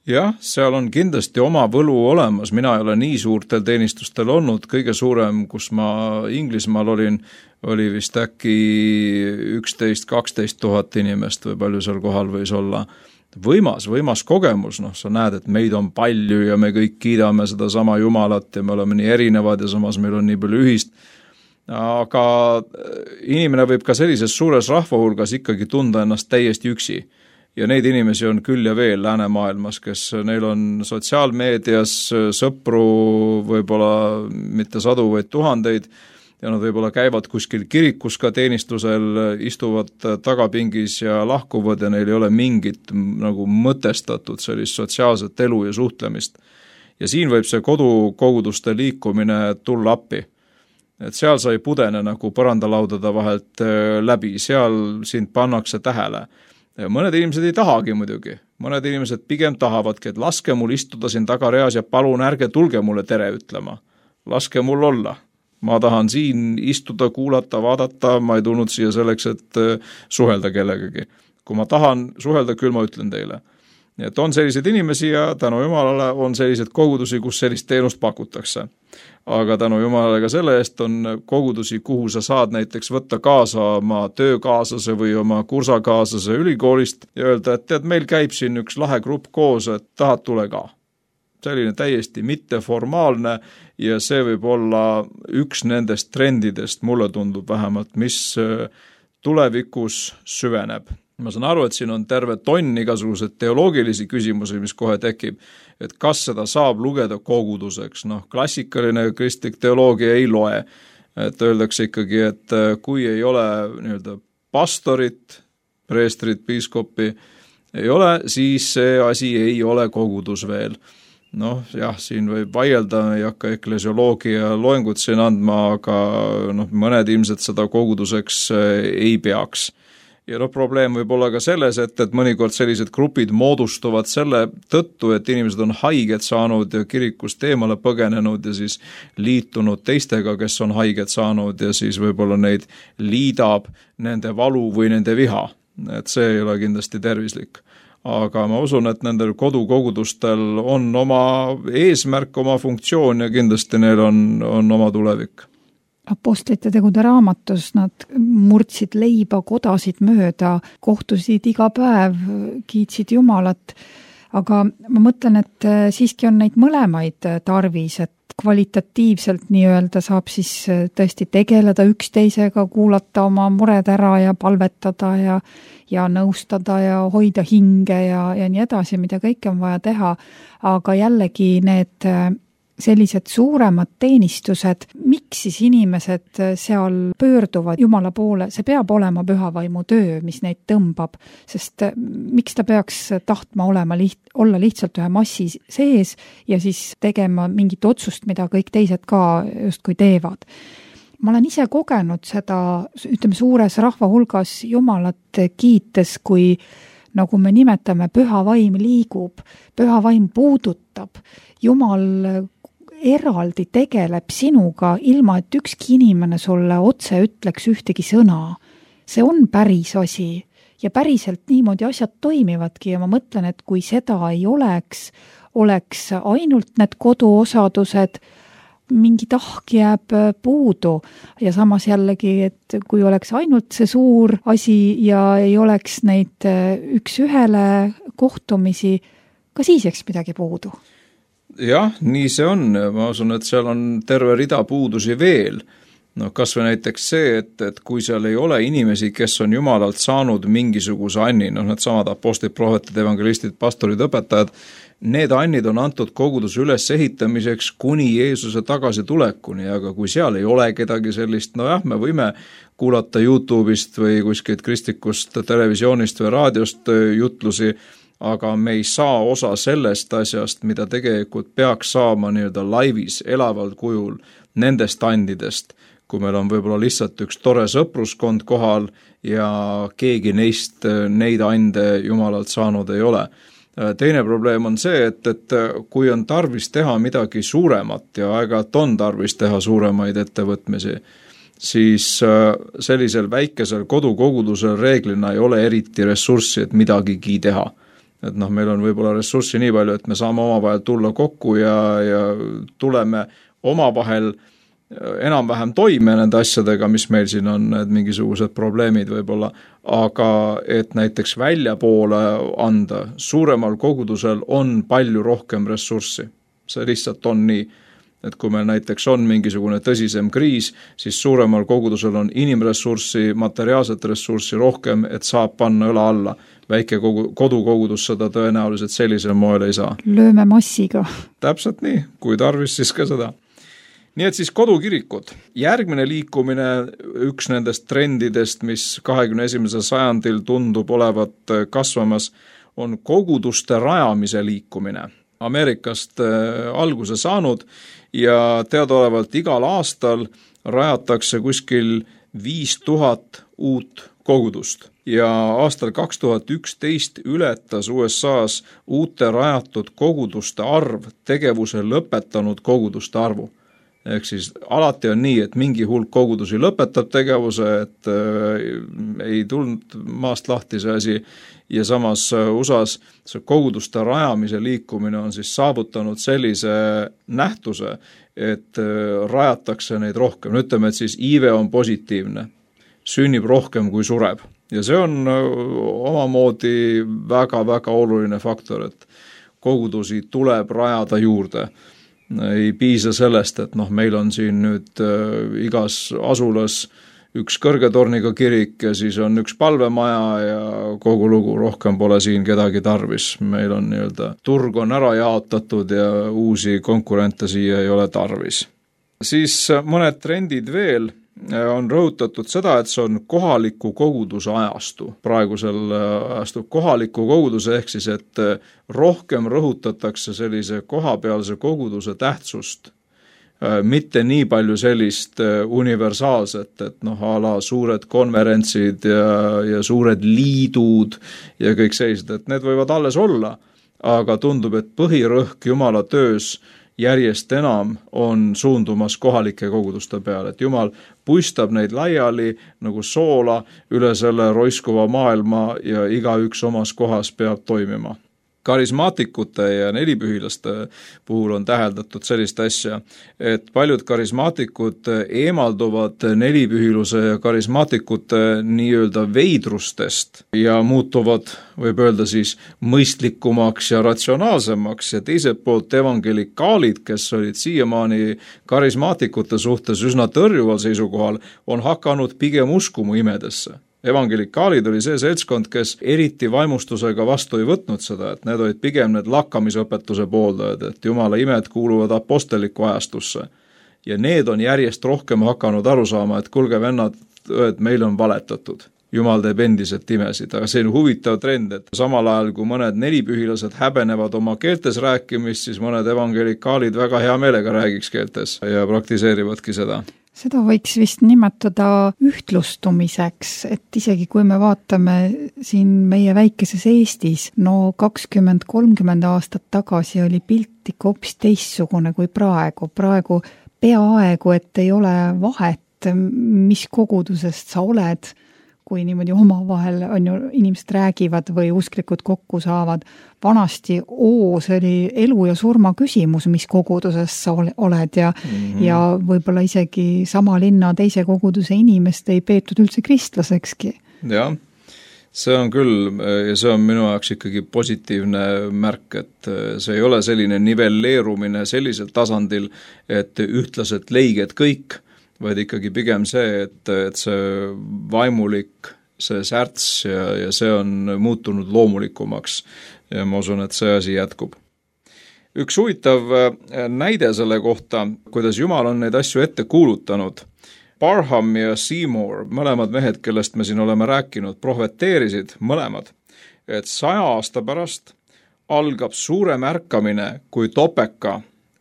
Speaker 4: Jah, seal on kindlasti oma võlu olemas, mina ei ole nii suurtel teenistustel olnud, kõige suurem, kus ma Inglismaal olin, oli vist äkki üksteist kaksteist tuhat inimest või palju seal kohal võis olla. Võimas, võimas kogemus, noh, sa näed, et meid on palju ja me kõik kiidame seda sama Jumalat ja me oleme nii erinevad ja samas meil on nii palju ühist. Aga inimene võib ka sellises suures rahvahulgas ikkagi tunda ennast täiesti üksi. Ja neid inimesi on küll ja veel läänemaailmas, kes neil on sotsiaalmeedias sõpru võib-olla mitte sadu, vaid tuhandeid ja nad võib-olla käivad kuskil kirikus ka teenistusel, istuvad tagapingis ja lahkuvad ja neil ei ole mingit nagu mõtestatud sellist sotsiaalset elu ja suhtlemist. Ja siin võib see kodukoguduste liikumine tulla appi. Et seal sa ei pudene nagu põrandalaudade vahelt läbi, seal sind pannakse tähele. Ja mõned inimesed ei tahagi muidugi. Mõned inimesed pigem tahavadki, et laske mul istuda siin tagareas ja palun ärge tulge mulle tere ütlema. Laske mul olla. Ma tahan siin istuda, kuulata, vaadata, ma ei tulnud siia selleks, et suhelda kellegagi. Kui ma tahan suhelda, küll ma ütlen teile. Nii et on sellised inimesi ja tänu Jumalale on sellised kogudusi, kus sellist teenust pakutakse. Aga tänu Jumalale ka selle eest on kogudusi, kuhu sa saad näiteks võtta kaasa oma töökaaslase või oma kursakaaslase ülikoolist ja öelda, et tead, meil käib siin üks lahe grupp koos, et tahad tule ka. Selline täiesti mitteformaalne ja see võib olla üks nendest trendidest, mulle tundub vähemalt, mis tulevikus süveneb. Ma saan aru, et siin on terve tonn igasugused teoloogilisi küsimusi, mis kohe tekib, et kas seda saab lugeda koguduseks. Noh, klassikaline kristlik teoloogia ei loe. Et öeldakse ikkagi, et kui ei ole nii-öelda pastorit, preestrit, piiskopi, ei ole, siis see asi ei ole kogudus veel. Noh, jah, siin võib vaielda, ei hakka eklesioloogia loengut siin andma, aga noh, mõned ilmselt seda koguduseks ei peaks. Ja no probleem võib olla ka selles, et, et mõnikord sellised grupid moodustuvad selle tõttu, et inimesed on haiged saanud ja kirikust eemale põgenenud ja siis liitunud teistega, kes on haiged saanud ja siis võib-olla neid liidab nende valu või nende viha. Et see ei ole kindlasti tervislik. Aga ma usun, et nendel kodukogudustel on oma eesmärk, oma funktsioon ja kindlasti neil on, on oma tulevik.
Speaker 3: Apostlite tegude raamatus nad murdsid leiba kodasid mööda, kohtusid iga päev, kiitsid Jumalat, aga ma mõtlen, et siiski on neid mõlemaid tarvis, et kvalitatiivselt nii-öelda saab siis tõesti tegeleda üksteisega, kuulata oma mured ära ja palvetada ja, ja nõustada ja hoida hinge ja, ja nii edasi, mida kõike on vaja teha, aga jällegi need sellised suuremad teenistused, miks siis inimesed seal pöörduvad Jumala poole, see peab olema pühavaimu töö, mis neid tõmbab, sest miks ta peaks tahtma olema liht, olla lihtsalt ühe massi sees ja siis tegema mingit otsust, mida kõik teised ka justkui teevad. Ma olen ise kogenud seda, ütleme, suures rahva hulgas Jumalat kiites, kui nagu me nimetame, püha vaim liigub, püha vaim puudutab, Jumal eraldi tegeleb sinuga, ilma et ükski inimene sulle otse ütleks ühtegi sõna. See on päris asi ja päriselt niimoodi asjad toimivadki ja ma mõtlen, et kui seda ei oleks, oleks ainult need koduosadused, mingi tahk jääb puudu ja samas jällegi, et kui oleks ainult see suur asi ja ei oleks neid üks ühele kohtumisi, ka siis jääks midagi puudu.
Speaker 4: Jah, nii see on. Ma usun, et seal on terve rida puudusi veel. No kas või näiteks see, et, et kui seal ei ole inimesi, kes on Jumalalt saanud mingisuguse anni, noh need samad apostlid, prohvetid, evangelistid, pastorid, õpetajad, need annid on antud koguduse üles ehitamiseks kuni Jeesuse tagasi tulekuni, aga kui seal ei ole kedagi sellist, no jah, me võime kuulata YouTube'ist või kuskilt kristlikust televisioonist või raadiost jutlusi, aga me ei saa osa sellest asjast, mida tegelikult peaks saama nii-öelda laivis, elaval kujul nendest andidest, kui meil on võib-olla lihtsalt üks tore sõpruskond kohal ja keegi neist neid ande Jumalalt saanud ei ole. Teine probleem on see, et, et kui on tarvis teha midagi suuremat ja aeg-ajalt on tarvis teha suuremaid ettevõtmisi, siis sellisel väikesel kodukogudusel reeglina ei ole eriti ressurssi, et midagigi teha. Et noh, meil on võib-olla ressurssi nii palju, et me saame omavahel tulla kokku ja, ja tuleme omavahel enam-vähem toime nende asjadega, mis meil siin on, need mingisugused probleemid võib-olla, aga et näiteks välja poole anda, suuremal kogudusel on palju rohkem ressurssi. See lihtsalt on nii, et kui meil näiteks on mingisugune tõsisem kriis, siis suuremal kogudusel on inimressurssi, materiaalset ressurssi rohkem, et saab panna õla alla. Väike kogu, kodukogudus seda tõenäoliselt sellisel moel ei saa.
Speaker 3: Lööme massiga.
Speaker 4: Täpselt nii, kui tarvis siis ka seda. Nii et siis kodukirikud. Järgmine liikumine, üks nendest trendidest, mis kahekümne esimesel sajandil tundub olevat kasvamas, on koguduste rajamise liikumine. Ameerikast alguse saanud ja teadaolevalt igal aastal rajatakse kuskil viis tuhat uut kogudust. Ja aastal kaks tuhat üksteist ületas U S A-s uute rajatud koguduste arv tegevuse lõpetanud koguduste arvu. Ehk siis alati on nii, et mingi hulk kogudusi lõpetab tegevuse, et äh, ei tulnud maast lahti see asi ja samas U S A-s see koguduste rajamise liikumine on siis saavutanud sellise nähtuse, et äh, rajatakse neid rohkem. Ütleme, et siis iive on positiivne, sünnib rohkem kui sureb ja see on äh, omamoodi väga-väga oluline faktor, et kogudusi tuleb rajada juurde. Ei piisa sellest, et noh, meil on siin nüüd äh, igas asulas üks kõrgetorniga kirik ja siis on üks palvemaja ja kogu lugu, rohkem pole siin kedagi tarvis. Meil on nii-öelda turg on ära jaotatud ja uusi konkurente siia ei ole tarvis. Siis mõned trendid veel on rõhutatud seda, et see on kohaliku koguduse ajastu. Praegusel ajastu kohaliku koguduse ehk siis, et rohkem rõhutatakse sellise kohapealse koguduse tähtsust. Mitte nii palju sellist universaalset, et noh, ala suured konverentsid ja, ja suured liidud ja kõik sellised, et need võivad alles olla, aga tundub, et põhirõhk Jumala töös järjest enam on suundumas kohalike koguduste peale, et Jumal puistab neid laiali nagu soola üle selle roiskuva maailma ja igaüks omas kohas peab toimima. Karismaatikute ja nelipühilaste puhul on täheldatud sellist asja, et paljud karismaatikud eemalduvad nelipühiluse ja karismaatikute nii-öelda veidrustest ja muutuvad, võib öelda siis, mõistlikumaks ja ratsionaalsemaks ja teiselt poolt evangelikaalid, kes olid siiamaani karismaatikute suhtes üsna tõrjuval seisukohal, on hakanud pigem uskuma imedesse. Evangelikaalid oli see seltskond, kes eriti vaimustusega vastu ei võtnud seda, et need olid pigem need lakkamisõpetuse pooldajad, et Jumala imed kuuluvad aposteliku ajastusse. Ja need on järjest rohkem hakanud aru saama, et kulge vennad, et meil on valetatud. Jumal teeb endiselt imesid, aga see on huvitav trend, et samal ajal kui mõned nelipühilased häbenevad oma keeltes rääkimist, siis mõned evangelikaalid väga hea meelega räägiks keeltes ja praktiseerivadki seda.
Speaker 3: Seda võiks vist nimetada ühtlustumiseks, et isegi kui me vaatame siin meie väikeses Eestis, no kakskümmend kolmkümmend aastat tagasi oli pilt ikka hoopis teistsugune kui praegu. Praegu peaaegu, et ei ole vahet, mis kogudusest sa oled, kui niimoodi omavahel on ju, inimesed räägivad või usklikud kokku saavad. Vanasti, oo, see oli elu ja surma küsimus, mis koguduses sa oled ja, mm-hmm. ja võib-olla isegi sama linna teise koguduse inimest ei peetud üldse kristlasekski.
Speaker 4: Jah, see on küll ja see on minu jaoks ikkagi positiivne märk, et see ei ole selline nivelleerumine sellisel tasandil, et ühtlaselt leiged kõik, vaid ikkagi pigem see, et, et see vaimulik, see särts ja, ja see on muutunud loomulikumaks ja ma usun, et see asi jätkub. Üks huvitav näide selle kohta, kuidas Jumal on neid asju ette kuulutanud. Barham ja Seymour, mõlemad mehed, kellest me siin oleme rääkinud, prohveteerisid mõlemad, et saja aasta pärast algab suurem ärkamine kui Topeka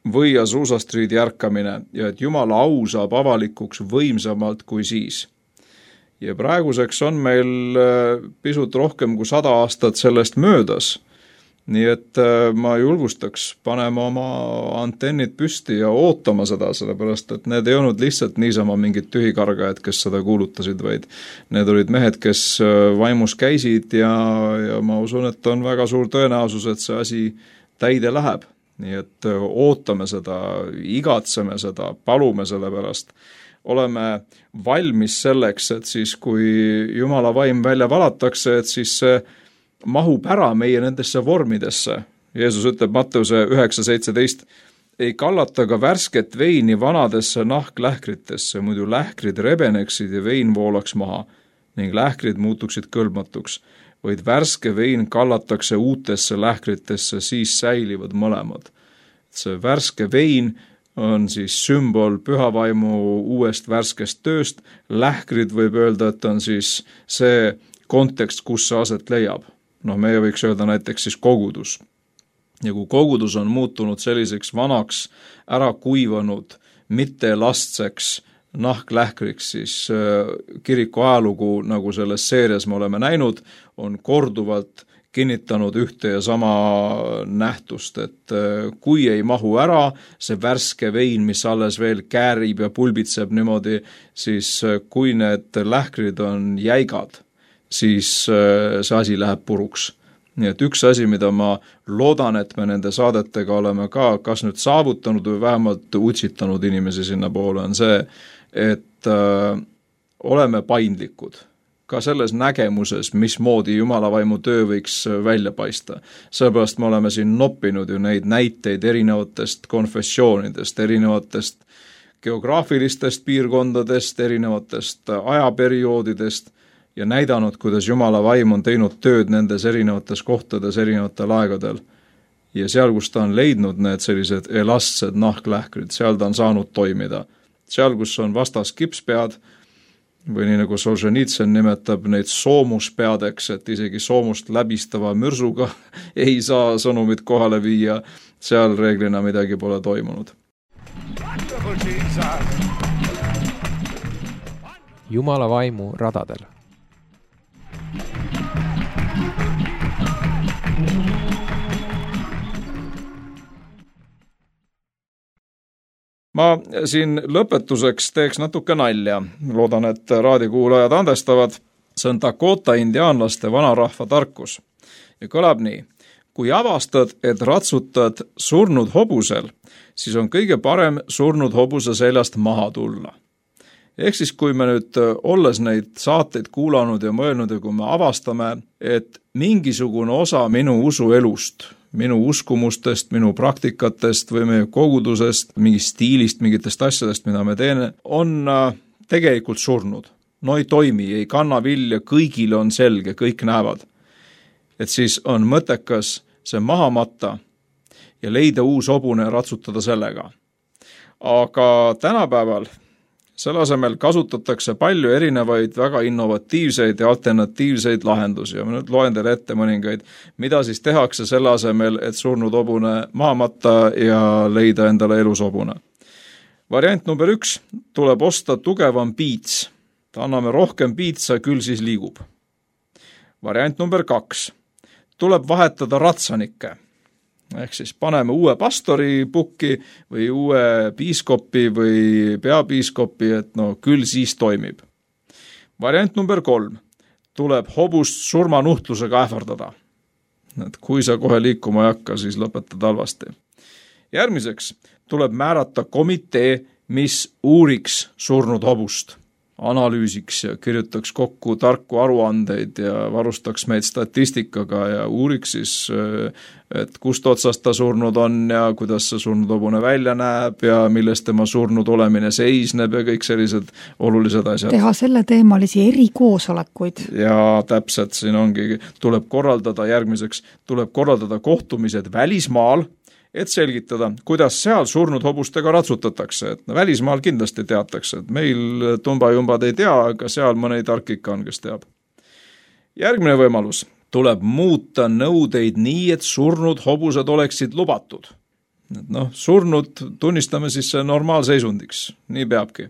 Speaker 4: või Azusa Streeti ärkamine ja et Jumala au saab avalikuks võimsamalt kui siis. Ja praeguseks on meil pisut rohkem kui sada aastat sellest möödas, nii et ma julgustaks panema oma antennid püsti ja ootama seda, sellepärast et need ei olnud lihtsalt niisama mingid tühikargajad, kes seda kuulutasid, vaid need olid mehed, kes vaimus käisid ja, ja ma usun, et on väga suur tõenäosus, et see asi täide läheb. Nii et ootame seda, igatseme seda, palume selle pärast. Oleme valmis selleks, et siis kui Jumala vaim välja valatakse, et siis see mahub ära meie nendesse vormidesse. Jeesus ütleb Matteuse üheksa seitseteist, ei kallata ka värsket veini vanadesse nahklähkritesse, muidu lähkrid rebeneksid ja vein voolaks maha ning lähkrid muutuksid kõlbmatuks. Vaid värske vein kallatakse uutesse lähkritesse, siis säilivad mõlemad. See värske vein on siis sümbol pühavaimu uuest värskest tööst, lähkrid võib öelda, et on siis see kontekst, kus see aset leiab. Noh, meie võiks öelda näiteks siis kogudus. Ja kui kogudus on muutunud selliseks vanaks, ära kuivanud, mitte lastseks, nahklähkriks, siis kiriku ajalugu, nagu selles seerias me oleme näinud, on korduvalt kinnitanud ühte ja sama nähtust, et kui ei mahu ära see värske vein, mis alles veel käärib ja pulbitseb niimoodi, siis kui need lähkrid on jäigad, siis see asi läheb puruks. Nii et üks asi, mida ma loodan, et me nende saadetega oleme ka kas nüüd saavutanud või vähemalt utsitanud inimesi sinna poole, on see, et äh, oleme paindlikud ka selles nägemuses, mismoodi Jumala vaimu töö võiks välja paista. Sellepärast me oleme siin noppinud ju neid näiteid erinevatest konfessioonidest, erinevatest geograafilistest piirkondadest, erinevatest ajaperioodidest ja näidanud, kuidas Jumala vaim on teinud tööd nendes erinevates kohtades, erinevatel aegadel. Ja seal, kus ta on leidnud need sellised elastsed nahklähkrid, seal ta on saanud toimida. Seal, kus on vastas kipspead, või nii nagu Solženitsyn nimetab neid soomuspeadeks, et isegi soomust läbistava mürsuga ei saa sõnumit kohale viia, seal reeglina midagi pole toimunud.
Speaker 1: Jumala vaimu radadel.
Speaker 4: Ma siin lõpetuseks teeks natuke nalja. Loodan, et raadiokuulajad andestavad. See on Dakota indiaanlaste vanarahva tarkus. Ja kõlab nii. Kui avastad, et ratsutad surnud hobusel, siis on kõige parem surnud hobuse seljast maha tulla. Ehk siis, kui me nüüd olles neid saateid kuulanud ja mõelnud ja kui me avastame, et mingisugune osa minu usuelust, minu uskumustest, minu praktikatest või meie kogudusest, mingist stiilist, mingitest asjadest, mida me teeme, on tegelikult surnud. No ei toimi, ei kanna vilja, kõigile on selge, kõik näevad. Et siis on mõttekas see maha matta ja leida uus hobune ja ratsutada sellega. Aga tänapäeval selle asemel kasutatakse palju erinevaid väga innovatiivseid ja alternatiivseid lahendusi ja ma nüüd loen teile ette mõningaid, mida siis tehakse selle asemel, et surnud hobune maha matta ja leida endale elus hobune. Variant number üks, tuleb osta tugevam piits. Ta anname rohkem piitsa, küll siis liigub. Variant number kaks, tuleb vahetada ratsanikke. Ehk siis paneme uue pastori pukki või uue piiskopi või peapiiskopi, et no küll siis toimib. Variant number kolm. tuleb hobust surmanuhtlusega ähvardada. Et kui sa kohe liikuma ei hakka, siis lõpetad halvasti. Järgmiseks tuleb määrata komitee, mis uuriks surnud hobust, analüüsiks ja kirjutaks kokku tarku aruandeid ja varustaks meid statistikaga ja uuriks siis, et kust otsast ta surnud on ja kuidas see surnud hobune välja näeb ja millest tema surnud olemine seisneb ja kõik sellised olulised asjad.
Speaker 3: Teha selle teemalisi erikoosolekuid.
Speaker 4: Ja täpselt, siin ongi, tuleb korraldada järgmiseks, tuleb korraldada kohtumised välismaal, et selgitada, kuidas seal surnud hobustega ratsutatakse. Et no, välismaal kindlasti teatakse, et meil tumbajumbad ei tea, aga seal mõni tark ikka on, kes teab. Järgmine võimalus. Tuleb muuta nõudeid nii, et surnud hobused oleksid lubatud. Et noh, surnud tunnistame siis normaalseisundiks. Nii peabki.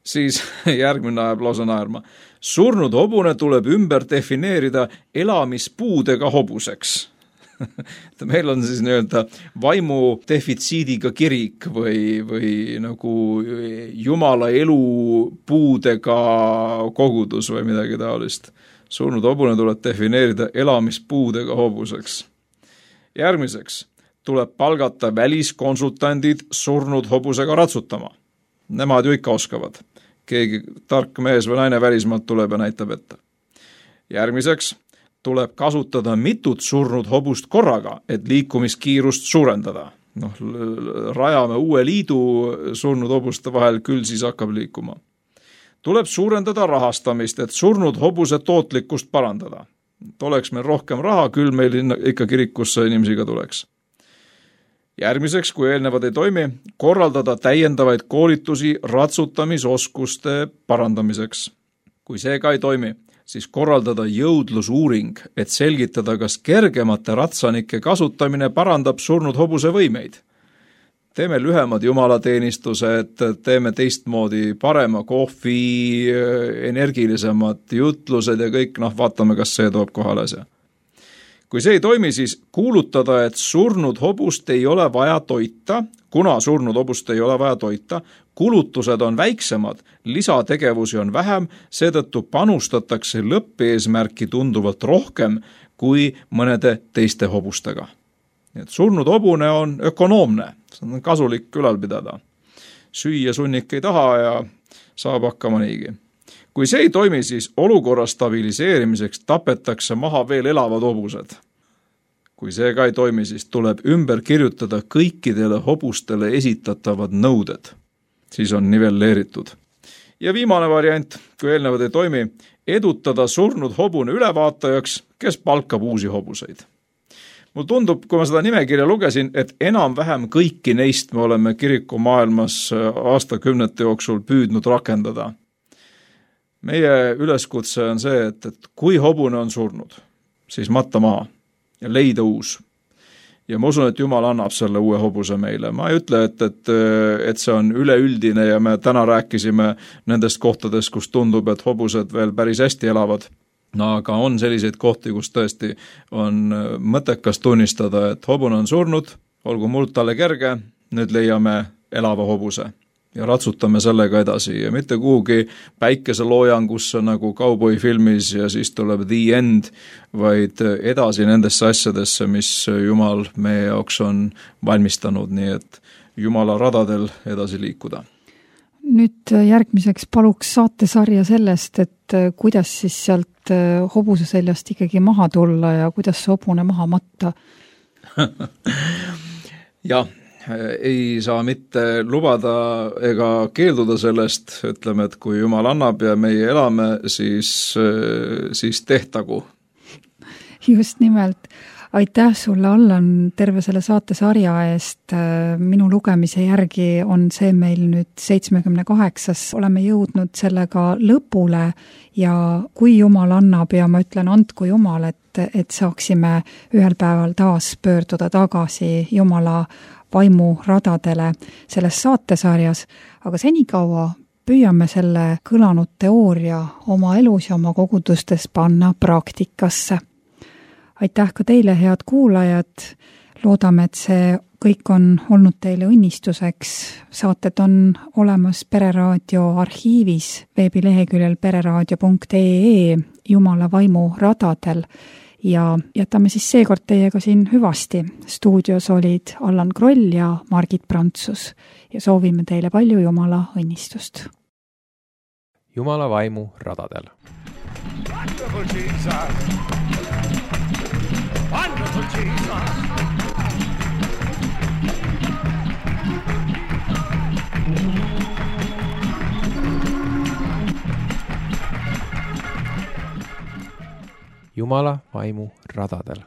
Speaker 4: Siis järgmine ajab lausa naerma. Surnud hobune tuleb ümber defineerida elamispuudega hobuseks. Meil on siis nii-öelda vaimu defitsiidiga kirik või, või nagu jumala elu puudega kogudus või midagi taolist. Surnud hobune tuleb defineerida elamispuudega hobuseks. Järgmiseks tuleb palgata väliskonsultandid surnud hobusega ratsutama. Nemad ju ikka oskavad. Keegi tark mees või naine välismaalt tuleb ja näitab ette. Järgmiseks tuleb kasutada mitut surnud hobust korraga, et liikumiskiirust suurendada. Noh, rajame uue liidu surnud hobuste vahel, küll siis hakkab liikuma. Tuleb suurendada rahastamist, et surnud hobuse tootlikkust parandada. Et oleks meil rohkem raha, küll meil ikka kirikusse inimesi ka tuleks. Järgmiseks, kui eelnevad ei toimi, korraldada täiendavaid koolitusi ratsutamisoskuste parandamiseks. Kui see ka ei toimi, siis korraldada jõudlusuuring, et selgitada, kas kergemate ratsanike kasutamine parandab surnud hobuse võimeid. Teeme lühemad jumalateenistused, teeme teistmoodi parema kohvi, energilisemad jutlused ja kõik, noh, vaatame, kas see toob kohale asja. Kui see ei toimi, siis kuulutada, et surnud hobust ei ole vaja toita, kuna surnud hobust ei ole vaja toita, kulutused on väiksemad, lisategevusi on vähem, seetõttu panustatakse lõppeesmärki tunduvalt rohkem kui mõnede teiste hobustega. Nii et surnud hobune on ökonoomne, see on kasulik ülal pidada. Süüa sunnik ei taha ja saab hakkama niigi. Kui see ei toimi, siis olukorra stabiliseerimiseks tapetakse maha veel elavad hobused. Kui see ka ei toimi, siis tuleb ümber kirjutada kõikidele hobustele esitatavad nõuded. Siis on nivelleeritud. Ja viimane variant, kui eelnevad ei toimi, edutada surnud hobune ülevaatajaks, kes palkab uusi hobuseid. Mul tundub, kui ma seda nimekirja lugesin, et enam-vähem kõiki neist me oleme kiriku maailmas aastakümnete jooksul püüdnud rakendada. Meie üleskutse on see, et, et kui hobune on surnud, siis matta maha ja leida uus. Ja ma usun, et Jumal annab selle uue hobuse meile. Ma ei ütle, et, et, et see on üleüldine ja me täna rääkisime nendest kohtadest, kus tundub, et hobused veel päris hästi elavad. No aga on selliseid kohti, kus tõesti on mõttekas tunnistada, et hobune on surnud, olgu muld talle kerge, nüüd leiame elava hobuse. Ja ratsutame sellega edasi ja mitte kuhugi päikeseloojangusse nagu kauboifilmis ja siis tuleb the end, vaid edasi nendesse asjadesse, mis Jumal meie jaoks on valmistanud, nii et Jumala radadel edasi liikuda.
Speaker 3: Nüüd järgmiseks paluks saatesarja sellest, et kuidas siis sealt hobuse seljast ikkagi maha tulla ja kuidas see hobune maha matta.
Speaker 4: Jah. Ei saa mitte lubada ega keelduda sellest, ütleme, et kui Jumal annab ja meie elame, siis, siis tehtagu.
Speaker 3: Just nimelt. Aitäh sulle, Allan, terve selle saatesarja eest. Minu lugemise järgi on see meil nüüd seitsmekümne kaheksas. Oleme jõudnud sellega lõpule ja kui Jumal annab ja ma ütlen, andku Jumal, et, et saaksime ühel päeval taas pöörduda tagasi Jumala vaimu radadele selles saatesarjas, aga senikaua püüame selle kõlanud teooria oma elus ja oma kogudustes panna praktikasse. Aitäh ka teile, head kuulajad. Loodame, et see kõik on olnud teile õnnistuseks. Saated on olemas Pereraadio arhiivis veebileheküljel pereraadio punkt ee Jumala vaimu radadel ja jätame siis seekord teiega siin hüvasti. Stuudios olid Allan Kroll ja Margit Prantsus ja soovime teile palju Jumala õnnistust.
Speaker 1: Jumala vaimu radadel.
Speaker 2: Wonderful Jesus. Wonderful Jesus.
Speaker 1: Jumala vaimu radadel.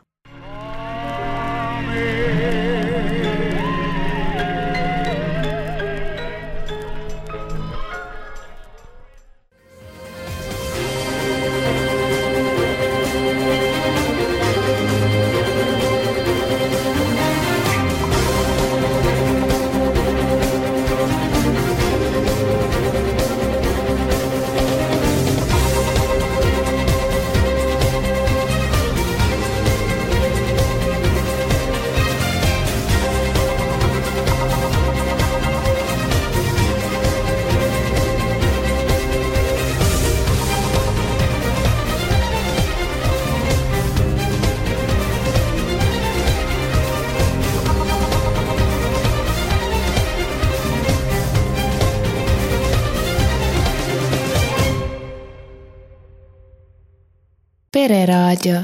Speaker 5: Pereraadio.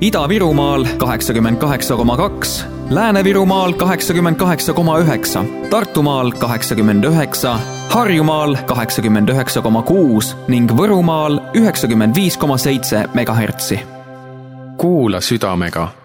Speaker 6: Ida-Virumaal kaheksakümmend kaheksa koma kaks, Lääne-Virumaal kaheksakümmend kaheksa koma üheksa, Tartumaal kaheksakümmend üheksa, Harjumaal kaheksakümmend üheksa koma kuus ning Võrumaal üheksakümmend viis koma seitse megahertsi.
Speaker 7: Kuula südamega.